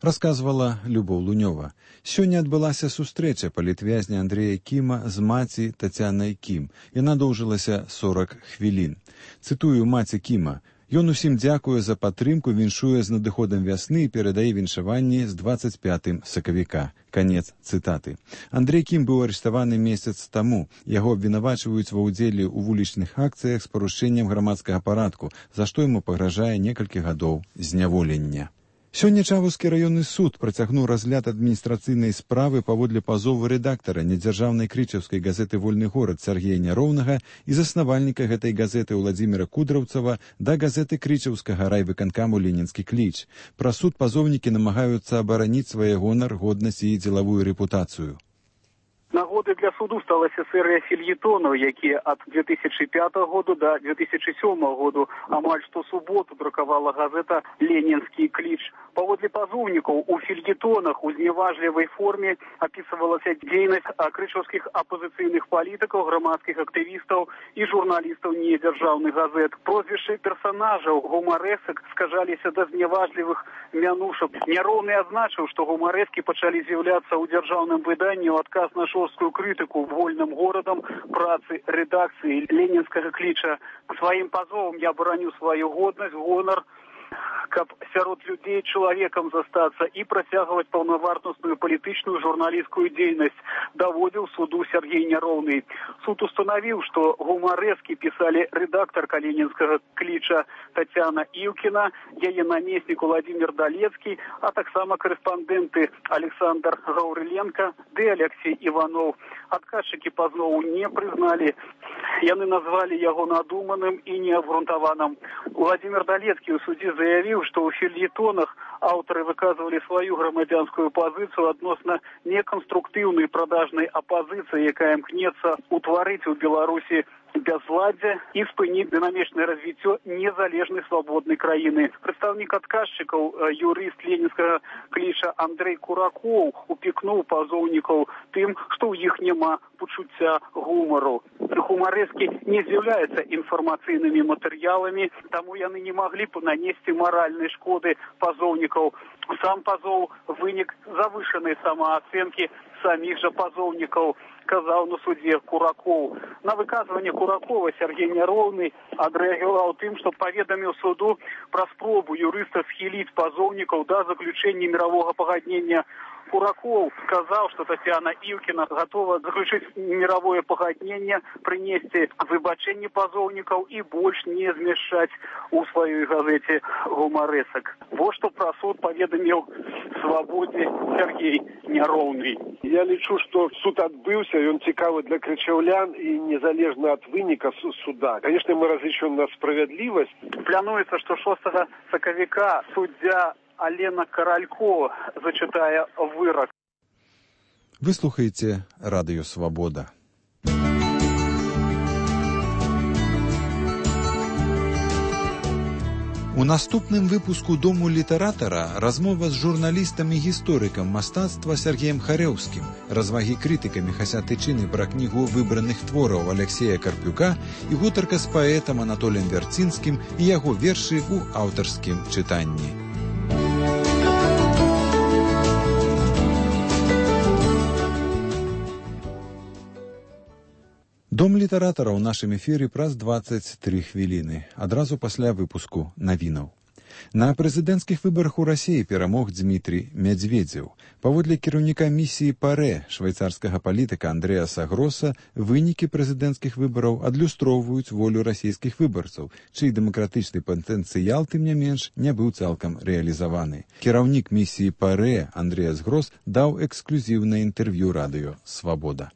Расказвала Любоў Лунёва. Сёння адбылася сустрэча палітвязня Андрэя Кіма з маці Тацянай Кім. Яна доўжылася сорак хвілін. Цытую маці Кіма. Ён усім дзякуе за падтрымку, віншуе з надыходам вясны і перадае віншаванні з дваццаць пятым сакавіка. Канец цытаты. Андрэй Кім быў арыштаваны месяц таму. Яго абвінавачваюць ва ўдзеле ў вулічных акцыях з парушэннем грамадскага парадку, за што яму пагражае некалькі гадоў зняволення. Сёння Чаваўскі раённы суд працягнуў разгляд адміністрацыйнай справы паводле пазову рэдактара недзяржаўнай крычаўскай газеты «Вольны горад» Сергея Няроўнага і заснавальніка гэтай газеты Владзіміра Кудраўцава да газеты крычаўскага райвыканкаму «Ленінскі кліч». Пра суд пазоўнікі намагаюцца абараніць свае гонар, годнасць і дзелавую рэпутацыю. Нагодай для суду сталася серыя фельетонаў, якія ад две тысячы пятага году да две тысячы сёмага году амаль што суботу друкавала газета «Ленінскі кліч». Паводле пазоўнікаў у фельетонах у зневажлівай форме апісвалася дзейнасць крычаўскіх апазіцыйных палітыкаў, грамадскіх актывістаў і журналістаў недзяржаўных газет. Прозвішчы персанажаў гумарэсак скажаліся да зневажлівых мянушак. Няроўны адзначыў, што гумарэскі пачалі з'яўляцца ў дзяржаўным выданні ў адказ на шорсткую крытыку вольным горадам працы рэдакцыі «Ленінскага кліча». Сваім пазовам я бараню сваю годнасць, гонар, каб сярод людзей чалавекам застацца і працягваць паўнавартасную палітычную журналісцкую дзейнасць, даводзіў суду Сергей Няроўны. Суд устанавіў, што гумарэскі пісалі рэдактарка «Ленінскага кліча» Тацяна Іўкіна, яе намеснік Владзімір Далецкі, а таксама корэспандэнты Александр Гаўрыленка ды Алексей Іванов. Адказчыкі пазнову не прызналі. Яны назвалі яго надуманым і неабгрунтаваным. Владзімір Далецкі ў судзе заявіў, заявіў, што ў фельетонах аўтары выказвалі сваю грамадзянскую пазіцыю адносна неканструктыўнай прадажнай апазіцыі, якая імкнецца ўтварыць у Беларусі бязладдзе і спыніць дынамічнае развіццё незалежнай свабоднай краіны. Прадстаўнік адказчыкаў, юрыст ленінскага кліча Андрэй Куракоў упікнуў пазоўнікаў тым, што ў іх няма пачуцця гумару. Гумарэскі не з'яўляюцца інфармацыйнымі матэрыяламі, таму яны не маглі б нанесці маральнай шкоды пазоўнікаў. Сам пазоў вынік завышанай самаацэнкі саміх жа пазоўнікаў, сказаў на судзе Куракоў. На выказванне Куракова Сергей Няроўны адрэагаваў тым, што паведаміў суду пра спробу юрыста схіліць пазоўнікаў да заключэння міровага пагаднення. Кураков сказал, что Татьяна Ивкина готова заключить мировое погоднение, принести выбачение позовников и больше не змешать у своей газете гуморесок. Вот что про суд поведомил Свободе Сергей Няроўны. Я лічу, что суд отбылся, и он цікавый для крычаўлян и незалежно от выника суда. Конечно, мы различаем на справедливость. Плануется, что шостага сакавіка суддзя Алена Каралько зачитая вырок. Вы слухаеце радыё Свабода. У наступным выпуску Дому літаратара размова з журналістам і гісторыкам мастацтва Сергеем Харэўскім, развагі крытыкамі Хася Тычыны пра кнігу выбраных твораў Алексея Карпюка і гутарка з паэтам Анатоліем Вярцінскім і яго вершы ў аўтарскім чытанні. Дом літаратара ў нашым эфіры праз дваццаць тры хвіліны, адразу пасля выпуску навінаў. На прэзідэнцкіх выбарах у Расіі перамог Дмітрий Медведзеў. Паводле кіраўніка місіі ПАРЭ швейцарскага палітыка Андрэаса Гроса, вынікі прэзідэнцкіх выбараў адлюстроўваюць волю расійскіх выбарцаў, чый дэмакратычны патэнцыял, тым не менш, не быў цалкам рэалізаваны. Кіраўнік місіі ПАРЭ Андрэас Грос даў эксклюзіўнае інтэрв'ю радыё «Свабода».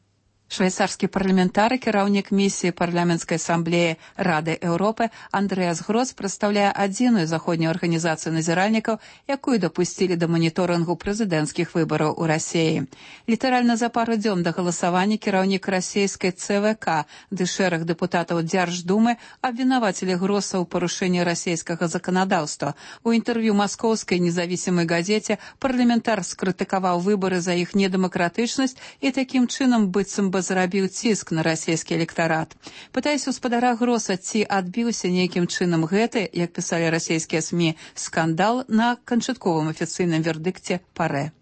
Швейцарскі парламентар і кіраўнік місіі парламенцкай асамблеі Рады Еўропы Андрэас Грос прадстаўляе адзіную заходнюю арганізацыю назіральнікаў, якую дапусцілі да маніторынгу прэзідэнцкіх выбараў у Расіі. Літаральна за пару дзён да галасавання кіраўнік расійскай цэ вэ ка ды шэраг дэпутатаў Дзярждумы абвінавацілі Гроса ў парушэнні расійскага заканадаўства. У інтэрв'ю маскоўскай незавісімай газеце парламентар скрытыкаваў выбары за іх недэмакратычнасць і такім чынам быццам бы зрабіў ціск на расійскі электарат. Пытаюся ў спадара Гроса, ці адбіўся нейкім чынам гэты, як пісалі расійскія СМІ, скандал на канчатковым афіцыйным вердыкце ПАРЭ.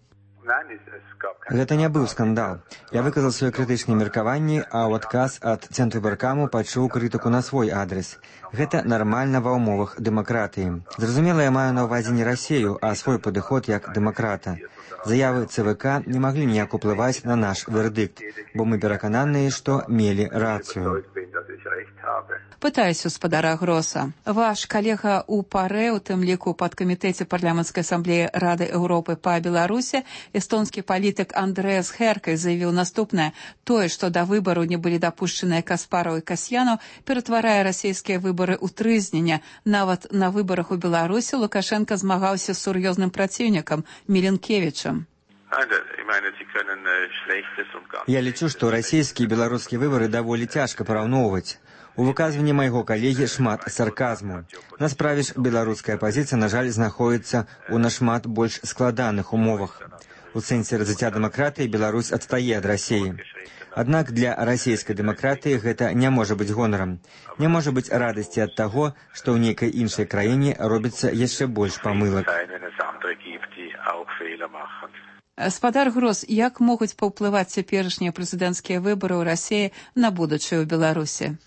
Гэта не быў скандал. Я выказаў сваё крытычнае меркаванне, а ў адказ ад Цэнтрвыбаркаму пачуў крытыку на свой адрес. Гэта нармальна ва ўмовах дэмакратыі. Зразумела, я маю на ўвазе не Расію, а свой падыход як дэмакрата. Заявы цэ вэ ка не маглі ніяк уплываць на наш вердыкт, бо мы перакананыя, што мелі рацыю. Пытаюсь у спадара Гроса. Ваш калега ў ПАРЭ, у тым ліку ў падкамітэце парламенцкай асамблеі Рады Еўропы па Беларусі, эстонскі палітык Андрэас Херкай заявіў наступнае. Тое, што да выбару не былі дапушчаныя Каспараў і Касьянаў, ператварае расійскія выбары ў трызнення. Нават на выбарах у Беларусі Лукашенка змагаўся з сур'ёзным праціўнікам Міленкевічам. Я лічу, што расійскія і беларускія выбары даволі цяжка параўноўваць. У выказванні майго калегі шмат сарказму. На справе ж беларуская апазіцыя, на жаль, знаходзіцца ў нашмат больш складаных умовах. У сэнсе развіцця дэмакратыі Беларусь адстае ад Расіі. Аднак для расійскай дэмакратыі гэта не можа быць гонарам. Не можа быць радасці ад таго, што ў нейкай іншай краіне робіцца яшчэ больш памылак. Спадар Грос, як могуць паўплываць цяперашнія прэзідэнцкія выбары ў Расіі на будучае ў Беларусі?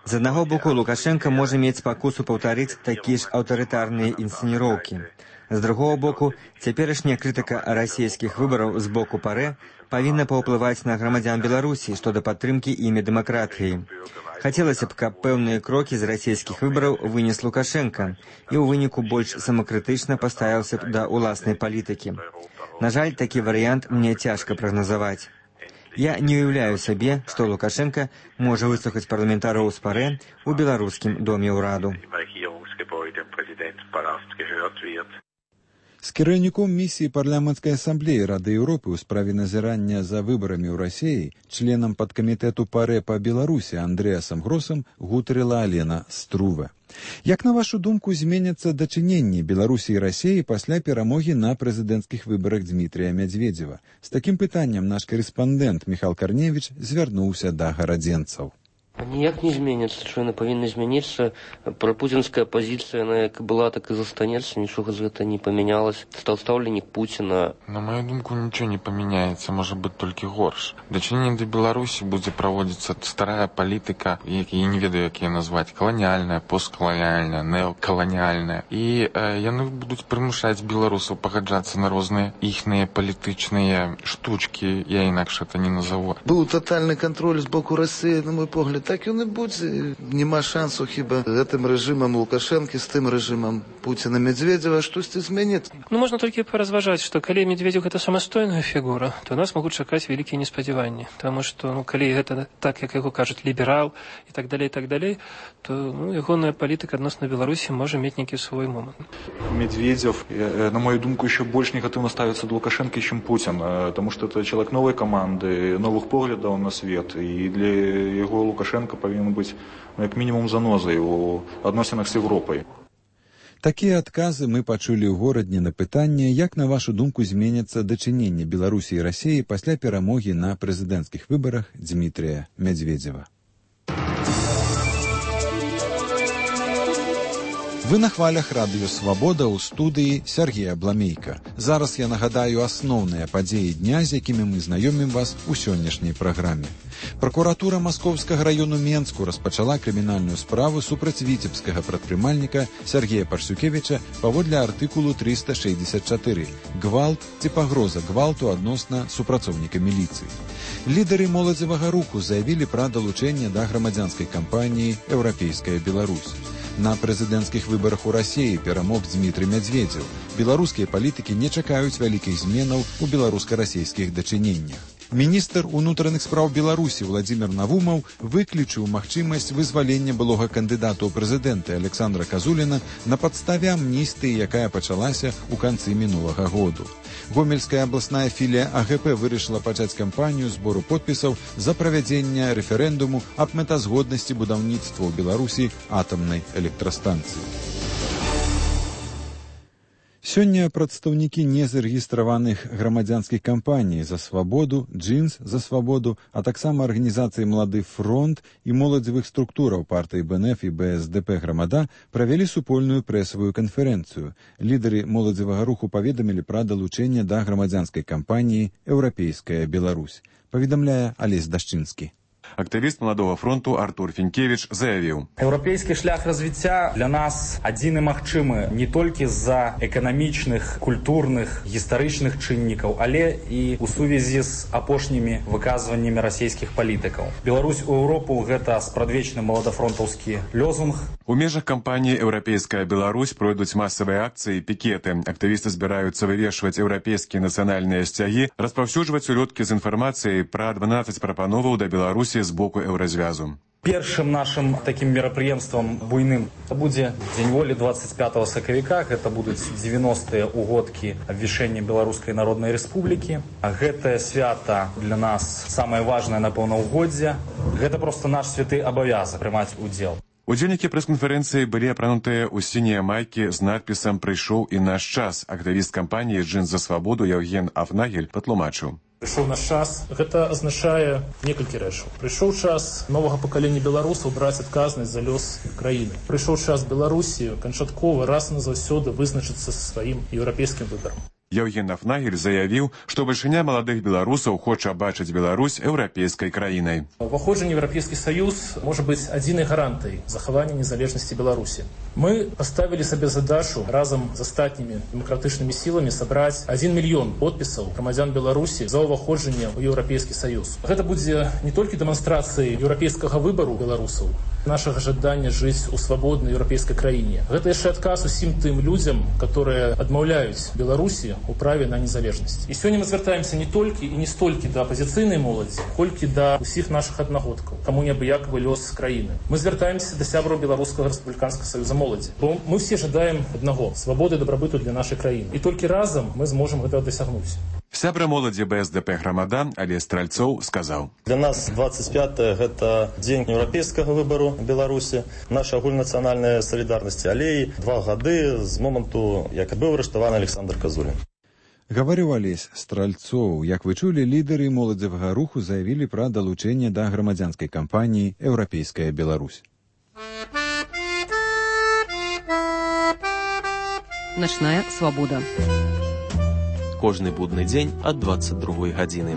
З аднаго боку, Лукашенка можа мець спакусу паўтарыць такія ж аўтарытарныя інсцэніроўкі. З другого боку, цяперашняя крытыка расійскіх выбараў з боку ПАРЭ павінна паўплываць на грамадзян Беларусі, што да падтрымкі імі дэмакратыі. Хацелася б, каб пэўныя крокі з расійскіх выбараў вынес Лукашенка і ў выніку больш самакрытычна паставіўся б да ўласнай палітыкі. На жаль, такі варыянт мне цяжка прагназаваць. Я не уяўляю сабе, што Лукашенко можа выслухаць парламентараў з парэ ў беларускім доме ўраду. З кіраўніком місіі парламенцкай асамблеі Рады Еўропы ў справе назірання за выбарамі ў Расіі, членам падкамітэту парэ па Беларусі Андрэасам Гросам гутарыла Алена Струве. Як, на вашу думку, зменяцца дачыненні Беларусі і Расіі пасля перамогі на прэзідэнцкіх выбарах Дмітрія Мядзведзева? З такім пытаннем наш карэспандэнт Міхал Карневіч звярнуўся да гарадзенцаў. Ніяк не зменіцца, що яны павінны змяніцца. Прапуцінская пазіцыя, яна як была, так і застанецца, нічога з гэта не памянялася. Стаў стаўленнік Пуціна. На мою думку, нічого не памяняецца, можа быць толькі горш. Дачыненне да Беларусі будзе праводзіцца старая палітыка, я не ведаю, як яе назваць, каланіальная, посткаланіальная, неокаланіальная. І э, яны будуць прымушаць беларусаў пагаджацца на розныя іхныя палітычныя штучкі, я інакш это не назову. Быў татальны кантроль з боку Расіі, на мой погляд, так ён і будзе. Нема шансу хіба гэтым рэжымам Лукашэнкі з тым рэжымам Пуціна Мядзведзева штосьці змяніць. Ну, можна толькі паразважаць, што калі Медведзеў гэта самастойная фігура, то нас могуць чакаць вялікія неспадзяванні. Таму што, ну, калі гэта так, як яго кажуць, ліберал і так далей, і так далей, то, ну, ягоная палітыка адносна Беларусі можа мець нейкі свой момант. Медведзев, на мою думку, еще больше негативно ставится до Лукашенко, чем Путин, потому что это человек новой команды, новых поглядов на свет, и для его Лукашенко повинен быть, ну, как минимум, занозой у адносінах з Європою. Такія адказы мы пачулі ў горадні на пытанне, як, на вашу думку, зменяцца дачыненне Беларусі і Расіі пасля перамогі на прэзідэнцкіх выбарах Дмітрія Мядзведзева. Вы на хвалях радыё «Свабода» ў студыі Сергея Бламейка. Зараз я нагадаю асноўныя падзеі дня, з якімі мы знаёмім вас у сённяшняй праграме. Пракуратура Маскоўскага раёну Менску распачала крымінальную справу супраць віцебскага прадпрымальніка Сергея Парсюкевіча паводле артыкулу трыста шэсцьдзесят чатыры «Гвалт ці пагроза гвалту адносна супрацоўніка міліцыі». Лідары моладзевага руху заявілі пра далучэнне да грамадзянскай кампаніі «Еўрапейская Беларусь». На прэзідэнцкіх выбарах у Расіі перамог Дмітрый Мядзведзеў. Беларускія палітыкі не чакаюць вялікіх зменаў у беларуска-расійскіх дачыненнях. Міністр унутраных спраў Беларусі Владзімір Навумаў выключыў магчымасць вызвалення былога кандыдата ў прэзідэнты Александра Казуліна на падставе амністыі, якая пачалася ў канцы мінулага году. Гомельская абласная філія А Г П вырашыла пачаць кампанію збору подпісаў за правядзення рэферэндуму аб мэтазгоднасці будаўніцтва ў Беларусі атамнай электрастанцыі. Сёння прадстаўнікі незарэгістраваных грамадзянскіх кампаній «За свабоду», «Джинс за свабоду», а таксама арганізацыі «Малады фронт» і моладзевых структураў партыі Б Н Ф і Б С Д П «Грамада» правялі супольную прэсавую канферэнцыю. Лідары моладзевага руху паведамілі пра далучэнне да грамадзянскай кампаніі «Еўрапейская Беларусь». Паведамляе Алесь Дашчынскі. Актывіст Маладога фронту Артур Фінкевіч заявіў: Еўрапейскі шлях развіцця для нас адзін і магчымы не толькі з-за эканамічных, культурных, гістарычных чыннікаў, але і ў сувязі з апошнімі выказваннямі расійскіх палітыкаў. Беларусь у Еўропу — гэта спрадвечны маладафронтаўскі лёзунг. У межах кампаніі «Еўрапейская Беларусь» пройдуць масавыя акцыі і пікеты. Актывісты збіраюцца вывешваць еўрапейскія нацыянальныя сцягі, распаўсюджваць улёткі з інфармацыяй пра дванаццаць прапановаў да Беларусі з боку еўразвязу. Першым нашым такім мерапрыемствам буйным будзе Дзень волі двадцать пятого сакавіка. Гэта будуць дзевяностыя ўгодкі абвяшчэння Беларускай Народнай Рэспублікі. Гэтае свята для нас самае важнае на паўнаўгоддзе. Гэта проста наш святы абавязак прымаць удзел. Удзельнікі прэс-канферэнцыі былі апранутыя ў сінія майкі з надпісам «Прыйшоў і наш час». Актывіст кампаніі «Джинс за свабоду» Яўген Афнагель патлумачыў. Прыйшоў наш час. Гэта азначае некалькі рэчаў. Прыйшоў час новага пакалення беларусаў браць адказнасць за лёс краіны. Прыйшоў час Беларусі канчаткова раз і назаўсёды вызначыцца са сваім еўрапейскім выбарам. Яўген Афнагель заявіў, што бальшыня маладых беларусаў хоча бачыць Беларусь еўрапейскай краінай. Уваходжанне ў Еўрапейскі Саюз можа быць адзінай гарантыяй захавання незалежнасці Беларусі. Мы паставілі сабе задачу разам з астатнімі дэмакратычнымі сіламі сабраць адзін мільён подпісаў грамадзян Беларусі за ўваходжанне ў Еўрапейскі Саюз. Гэта будзе не толькі дэманстрацыяй еўрапейскага выбару беларусаў, нашага жадання жыць у свабоднай еўрапейскай краіне. Гэта яшчэ адказ усім тым людзям, которые адмаўляюць Беларусі у праве на незалежнасць. І сёння мы звяртаемся не толькі і не столькі да апазіцыйнай моладзі, колькі да ўсіх нашых аднагодкаў, каму неабыякавы лёс краіны. Мы звяртаемся да сябраў Беларускага рэспубліканскага саюза моладзі. Бо мы все жадаем аднаго – свабоды і дабрабыту для нашай краіны. І толькі разам мы зможам гэтага дасягнуць. Сябра моладзі бэ эс дэ пэ грамада Алесь Стральцоў сказаў: Для нас двадцать пятое гэта дзень еўрапейскага выбару Беларусі, наша агульнацыянальная салідарнасць, але і два гады з моманту, як быў арыштаваны Александр Казулін. Гаварыў Алесь Стральцоў. Як вы чулі, лідары моладзевага руху заявілі пра далучэнне да грамадзянскай кампаніі «Еўрапейская Беларусь». Начная свабода. Кожны будны дзень ад двадцать другой гадзіны.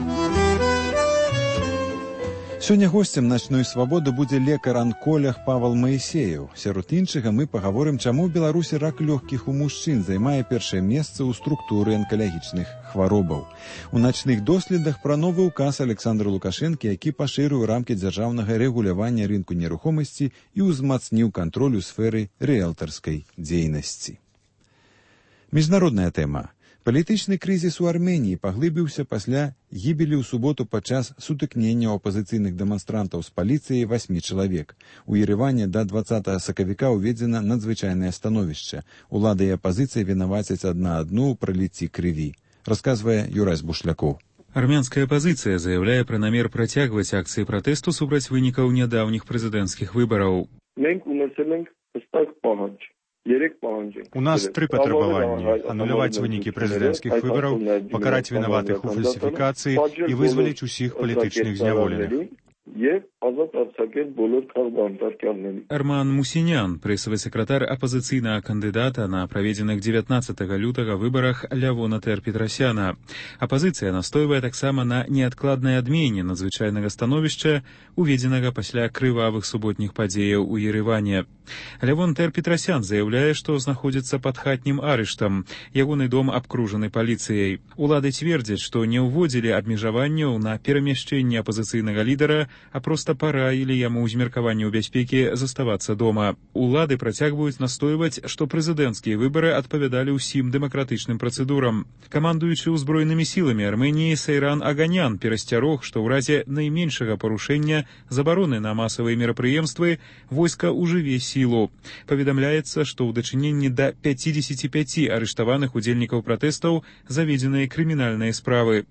Сёння госцем начной свабоды будзе лекар-анколог Павал Маісеяў. Сярод іншага мы пагаворым, чаму ў Беларусі рак лёгкіх у мужчын займае першае месца ў структуры анкалагічных хваробаў. У начных доследах пра новы ўказ Александра Лукашэнкі, які пашырыў рамкі дзяржаўнага рэгулявання рынку нерухомасці і ўзмацніў кантроль у сферы рыэлтарскай дзейнасці. Міжнародная тэма. Палітычны крызіс у Арменіі паглыбіўся пасля гібелі ў суботу падчас сутыкнення апазіцыйных дэманстрантаў з паліцыяй васьмі чалавек. У Ереване да дваццатага сакавіка ўведзена надзвычайнае становішча. Улада і апазіцыя вінавацяць адна адну ў праліцці крыві. Расказвае Юрась Бушлякоў. Армянская апозіцыя заяўляе пра намер працягваць акцыі пратэсту супраць вынікаў нядаўніх прэзідэнцкіх выбараў. У нас три патрабаванні: ануляваць вынікі прэзідэнцкіх выбараў, пакараць вінаватых у фальсіфікацыі і вызваліць усіх палітычных зняволеных. Арман Мусінян, прэсавы сакратар апазіцыйнага кандыдата на праведзеных дзевятнаццатага лютага выбарах Лявона Тер-Петрасяна. Апазіцыя настойвае таксама на неадкладнай адмене надзвычайнага становішча, уведзенага пасля крывавых суботніх падзеяў у Ереване. Лявон Тер-Петрасян заяўляе, што знаходзіцца пад хатнім арыштам. Ягоны дом абкружаны паліцыяй. Улады цвердзяць, што не ўводзілі абмежаванняў на перамяшчэнне апазіцыйнага лідара, а проста параілі яму ў змеркаванні ў бяспекі заставацца дома. Улады працягваюць настойваць, што прэзідэнцкія выбары адпавядалі ўсім дэмакратычным працэдурам. Камандуючы ўзброенымі сіламі Арменіі Сейран Аганян перасцярог, што ў разе найменшага парушэння забароны на масавыя мерапрыемствы войска ўжыве сілу. Паведамляецца, што ў дачыненні да пяцідзесяці пяці арыштаваных удзельнікаў пратэстаў заведзеныя крымінальныя справы.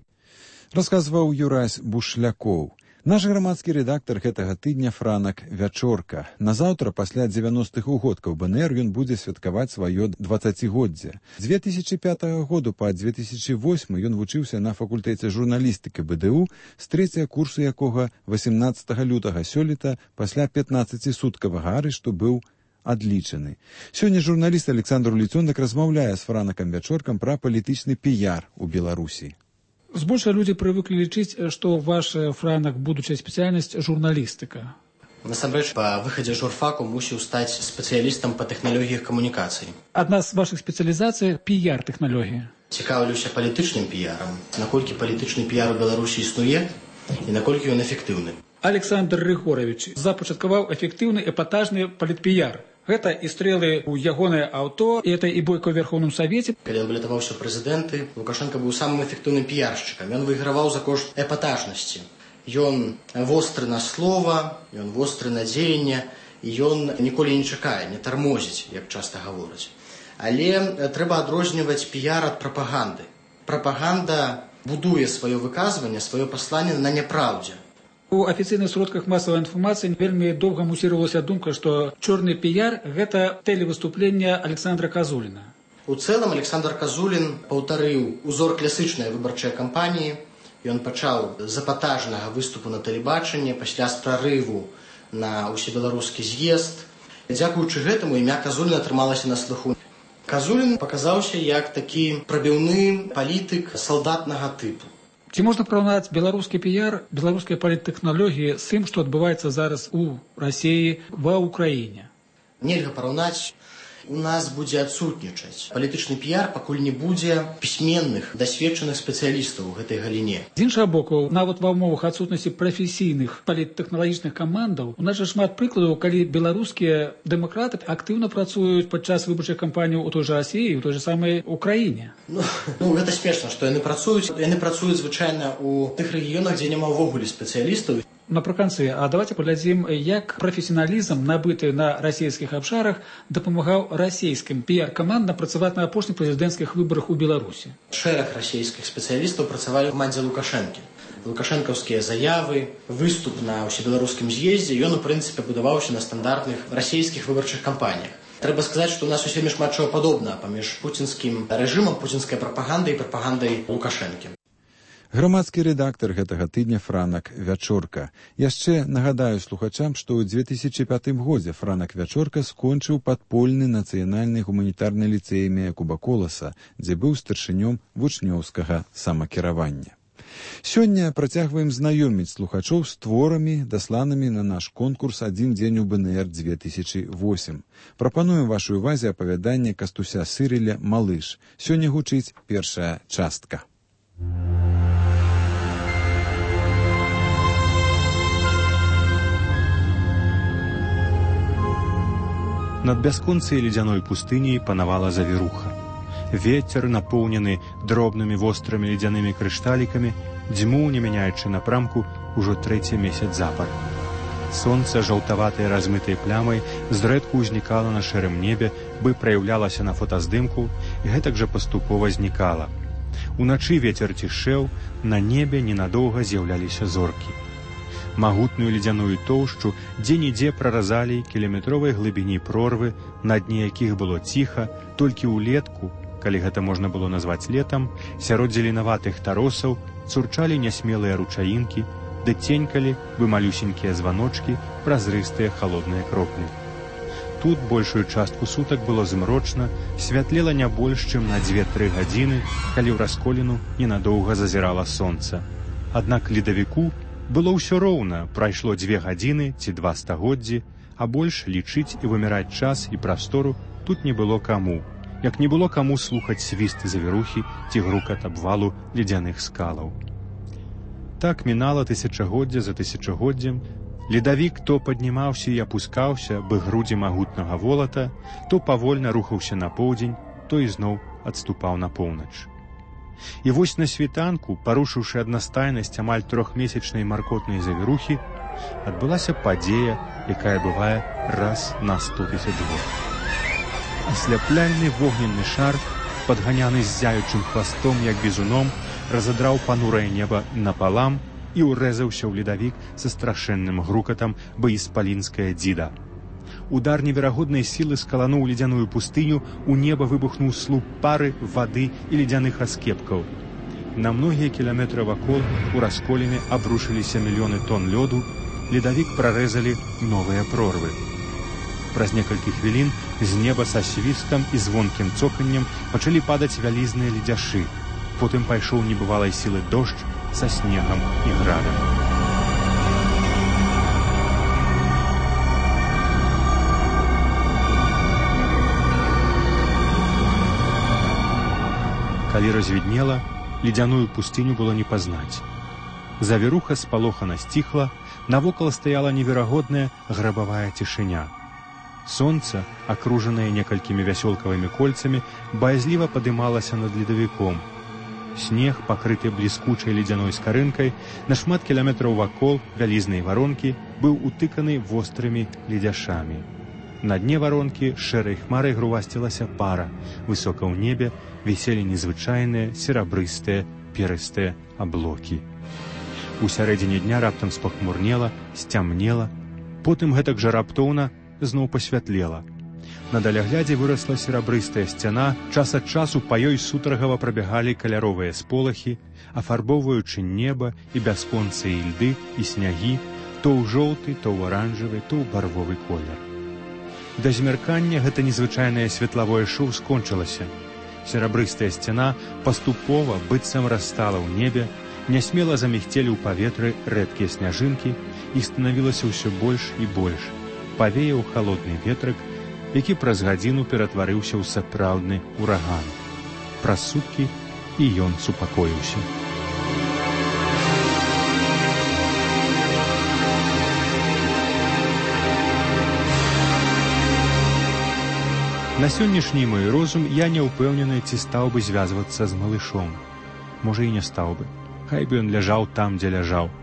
Расказваў Юрась Бушлякоў. Наш грамадскі рэдактар гэтага тыдня Франак Вячорка. Назаўтра, пасля дзевяностых угодкаў бэ эн эр, ён будзе святкаваць сваё дваццацігоддзе. З дзве тысячы пятага году па дзве тысячы восьмы ён вучыўся на факультэце журналістыкі бэ дэ у, з трэцяга курсу якога васемнаццатага лютага сёлета пасля пятнаццацісуткавага арышту быў адлічаны. Сёння журналіст Александр Ліцондак размаўляе з Франакам Вячоркам пра палітычны піяр у Беларусі. Збольшага людзі прывыклі лічыць, што ваш Франак будучая спецыяльнасць журналістыка. Насамрэч, па выхадзе журфаку мусіў стаць спецыялістам па тэхналогіях камунікацый. Адна з вашых спецыялізацый піяр-тэхналогія. Цікаўлюся палітычным піярам. Наколькі палітычны піяр у Беларусі існуе і наколькі ён эфектыўны. Александр Рыгорович запачаткаваў эфектыўны эпатажны палітпіяр. Гэта і стрэлы ў ягонае аўто, і гэта і бойка ў Верхоўным Савеце. Калі балятаваўся прэзідэнты, Лукашенко быў самым эфектыўным піяршчыкам. Ён выйграваў за кошт эпатажнасці. Ён востры на слова, ён востры на дзеянне, і ён ніколі не чакае, не тармозіць, як часта гавораць. Але трэба адрозніваць піяр ад прапаганды. Прапаганда будуе сваё выказванне, сваё пасланне на няпраўдзе. У афіцыйных сродках масавай інфармацыі вельмі доўга мусіравалася думка, што чорны піяр – гэта тэлевыступленне Александра Казуліна. У цэлым Александр Казулін паўтарыў узор класычнай выбарчай кампаніі. Ён пачаў з эпатажнага выступу на тэлебачанні, пасля з прарыву на ўсебеларускі з'езд. Дзякуючы гэтаму імя Казуліна атрымалася на слыху. Казулін паказаўся як такі прабіўны палітык салдатнага тыпу. Ці можна параўнаць беларускі піяр, беларускія паліттэхналогіі з тым, што адбываецца зараз у Расіі, ва Ўкраіне? Нельга параўнаць. у нас будзе адсутнічаць палітычны піяр, пакуль не будзе пісьменных, дасведчаных спецыялістаў у гэтай галіне. З іншага боку, нават ва ўмовах адсутнасці прафесійных паліттэхналагічных камандаў, у нас жа шмат прыкладаў, калі беларускія дэмакраты актыўна працуюць падчас выбарчых кампаній у той жа Расіі, у той жа самай Украіне. Ну, ну гэта смешна, што яны працуюць. Яны працуюць звычайна у тых рэгіёнах, дзе няма ўвогуле спецыялістаў. Напрыканцы, а давайте паглядзім, як прафесіяналізм, набыты на расійскіх абшарах, дапамагаў расійскім піяр-камандам працаваць на апошніх прэзідэнцкіх выбарах у Беларусі. Шэраг расійскіх спецыялістаў працавалі ў камандзе Лукашэнкі. Лукашэнкаўскія заявы, выступ на ўсебеларускім з'ездзе, ён, у прынцыпе, будаваўся на стандартных расійскіх выбарчых кампаніях. Трэба сказаць, што ў нас усё шмат чаго падобна паміж пуцінскім рэжымам, пуцінскай прапагандай і прапагандай Лукашэнкі. Грамадскі рэдактар гэтага тыдня Франак Вячорка. Яшчэ нагадаю слухачам, што ў дзве тысячы пятым годзе Франак Вячорка скончыў падпольны нацыянальны гуманітарны ліцэй імя Якуба Коласа, дзе быў старшынём вучнёўскага самакіравання. Сёння працягваем знаёміць слухачоў з творамі, дасланымі на наш конкурс «Адзін дзень у БНР дзве тысячы восем». Прапануем вашай увазе апавяданне Кастуся Сырыля «Малыш». Сёння гучыць першая частка. Над бясконцай ледзяной пустыняй панавала завіруха. Вецер, напоўнены дробнымі вострымі ледзянымі крышталікамі, дзьмуў, не мяняючы напрамку, ужо трэці месяц запар. Сонца, жаўтаватай размытай плямай, зрэдку ўзнікала на шэрым небе, бы праяўлялася на фотаздымку і гэтак жа паступова знікала. Уначы вецер цішэў, на небе ненадоўга з'яўляліся зоркі. Магутную ледзяную тоўшчу дзе-нідзе праразалі кіламетровай глыбіні прорвы, на дне якіх было ціха, толькі ўлетку, калі гэта можна было назваць летам, сярод зеленаватых таросаў цурчалі нясмелыя ручаінкі, ды ценькалі бы малюсенькія званочкі, празрыстыя халодныя кроплі. Тут большую частку сутак было змрочна, святлела не больш, чым на дзве-тры гадзіны, калі ў расколіну ненадоўга зазірала сонца. Аднак ледавіку было ўсё роўна, прайшло дзве гадзіны ці два стагоддзі, а больш лічыць і вымяраць час і прастору тут не было каму, як не было каму слухаць свіст завірухі ці грукат абвалу ледзяных скалаў. Так мінала тысячагоддзя за тысячагоддзем, ледавік то паднімаўся і апускаўся, бы грудзі магутнага волата, то павольна рухаўся на поўдзень, то ізноў адступаў на поўнач. І вось на світанку, парушыўшы аднастайнасць амаль трохмесячнай маркотнай завірухі, адбылася падзея, якая бывае раз на сто тысяч год. Асляпляльны вогненны шар, падганяны ззяючым хвастом, як бізуном, разадраў панурае неба напалам і ўрэзаўся ў ледавік са страшэнным грукатам баіспалінская дзіда. Удар неверагоднай сілы скалануў ледзяную пустыню, у неба выбухнуў слуп пары, вады і ледзяных аскепкаў. На многія кіламетры вакол у расколіны абрушыліся мільёны тонн лёду, ледавік прарэзалі новыя прорвы. Праз некалькі хвілін з неба са свістам і звонкім цоканнем пачалі падаць вялізныя ледзяшы. Потым пайшоў небывалай сілы дождж са снегам і градам. Калі развіднела, ледзяную пустыню было не пазнаць. Завіруха спалохана сціхла, навокал стаяла неверагодная грабавая цішыня. Сонца, акружанае некалькімі вясёлкавымі кольцамі, баязліва падымалася над ледавіком. Снег, пакрыты бліскучай ледзяной скарынкай, на шмат кіламетраў вакол вялізнай варонкі быў утыканы вострымі ледзяшамі. На дне варонкі шэрай хмарай грувасцілася пара, высока ў небе віселі незвычайныя серабрыстыя перыстыя аблокі. У сярэдзіне дня раптам спахмурнела, сцямнела, потым гэтак жа раптоўна зноў пасвятлела. На даляглядзе вырасла серабрыстая сцяна, час ад часу па ёй сутаргава прабягалі каляровыя сполахі, афарбоўваючы неба і бясконцыя ільды і снягі, то ў жоўты, то ў аранжавы, то ў барвовы колер. Да змяркання гэта незвычайнае светлавое шоу скончылася. Серабрыстая сцяна паступова быццам растала ў небе, нясмела замігцелі ў паветры рэдкія сняжынкі, іх станавілася ўсё больш і больш. Павеяў халодны ветрык, які праз гадзіну ператварыўся ў сапраўдны ураган. Праз суткі і ён супакоіўся. На сённяшні мой розум я не ўпэўнены, ці стаў бы звязвацца з малышом. Можа, і не стаў бы. Хай бы ён ляжаў там, дзе ляжаў.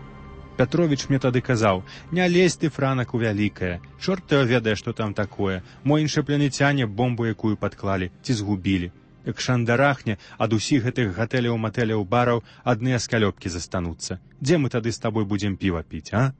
Пятровіч мне тады казаў: «Не лезь ты, Франак, у вялікае. Чорт ты ведае, што там такое. Мо іншапланецяне бомбу якую падклалі, ці згубілі. Як шандарахне, ад усіх гэтых гатэляў, матэляў, бараў адныя скалёпкі застануцца. Дзе мы тады з табой будзем піва піць, а?»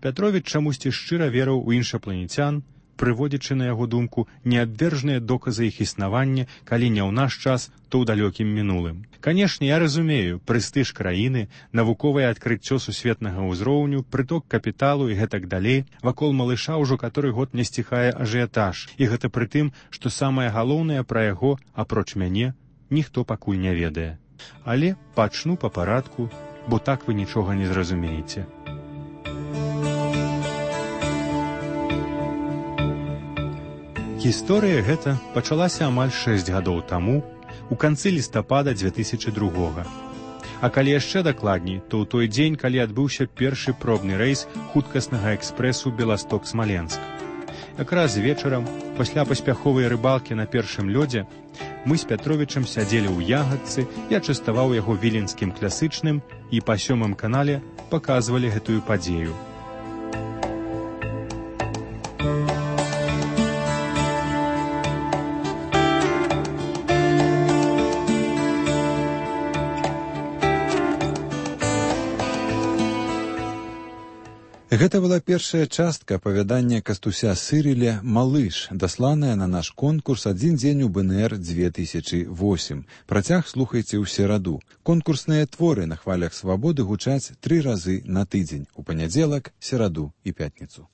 Пятровіч чамусьці шчыра верыў у іншапланецян, прыводзячы на яго думку неабвержныя доказы іх існавання, калі не ў наш час, то ў далёкім мінулым. Канешне, я разумею, прэстыж краіны, навуковае адкрыццё сусветнага ўзроўню, прыток капіталу і гэтак далей, вакол малыша ўжо каторы год не сціхае ажыятаж, і гэта пры тым, што самае галоўнае пра яго, апроч мяне, ніхто пакуль не ведае. Але пачну па парадку, бо так вы нічога не зразумееце. Гісторыя гэта пачалася амаль шэсць гадоў таму, у канцы лістапада дзве тысячы другога. А калі яшчэ дакладней, то ў той дзень, калі адбыўся першы пробны рэйс хуткаснага экспрэсу Беласток-Смаленск. Якраз вечарам, пасля паспяховай рыбалкі на першым лёдзе, мы з Пятровічам сядзелі ў ягадцы, я частаваў яго віленскім класычным і па сёмым канале паказвалі гэтую падзею. Гэта была першая частка апавядання Кастуся Сырыля «Малыш», дасланая на наш конкурс «Адзін дзень у БНР две тысячы восем». Працяг слухайце ў сераду. Конкурсныя творы на хвалях свабоды гучаць тры разы на тыдзень, у панядзелак, сераду і пятніцу.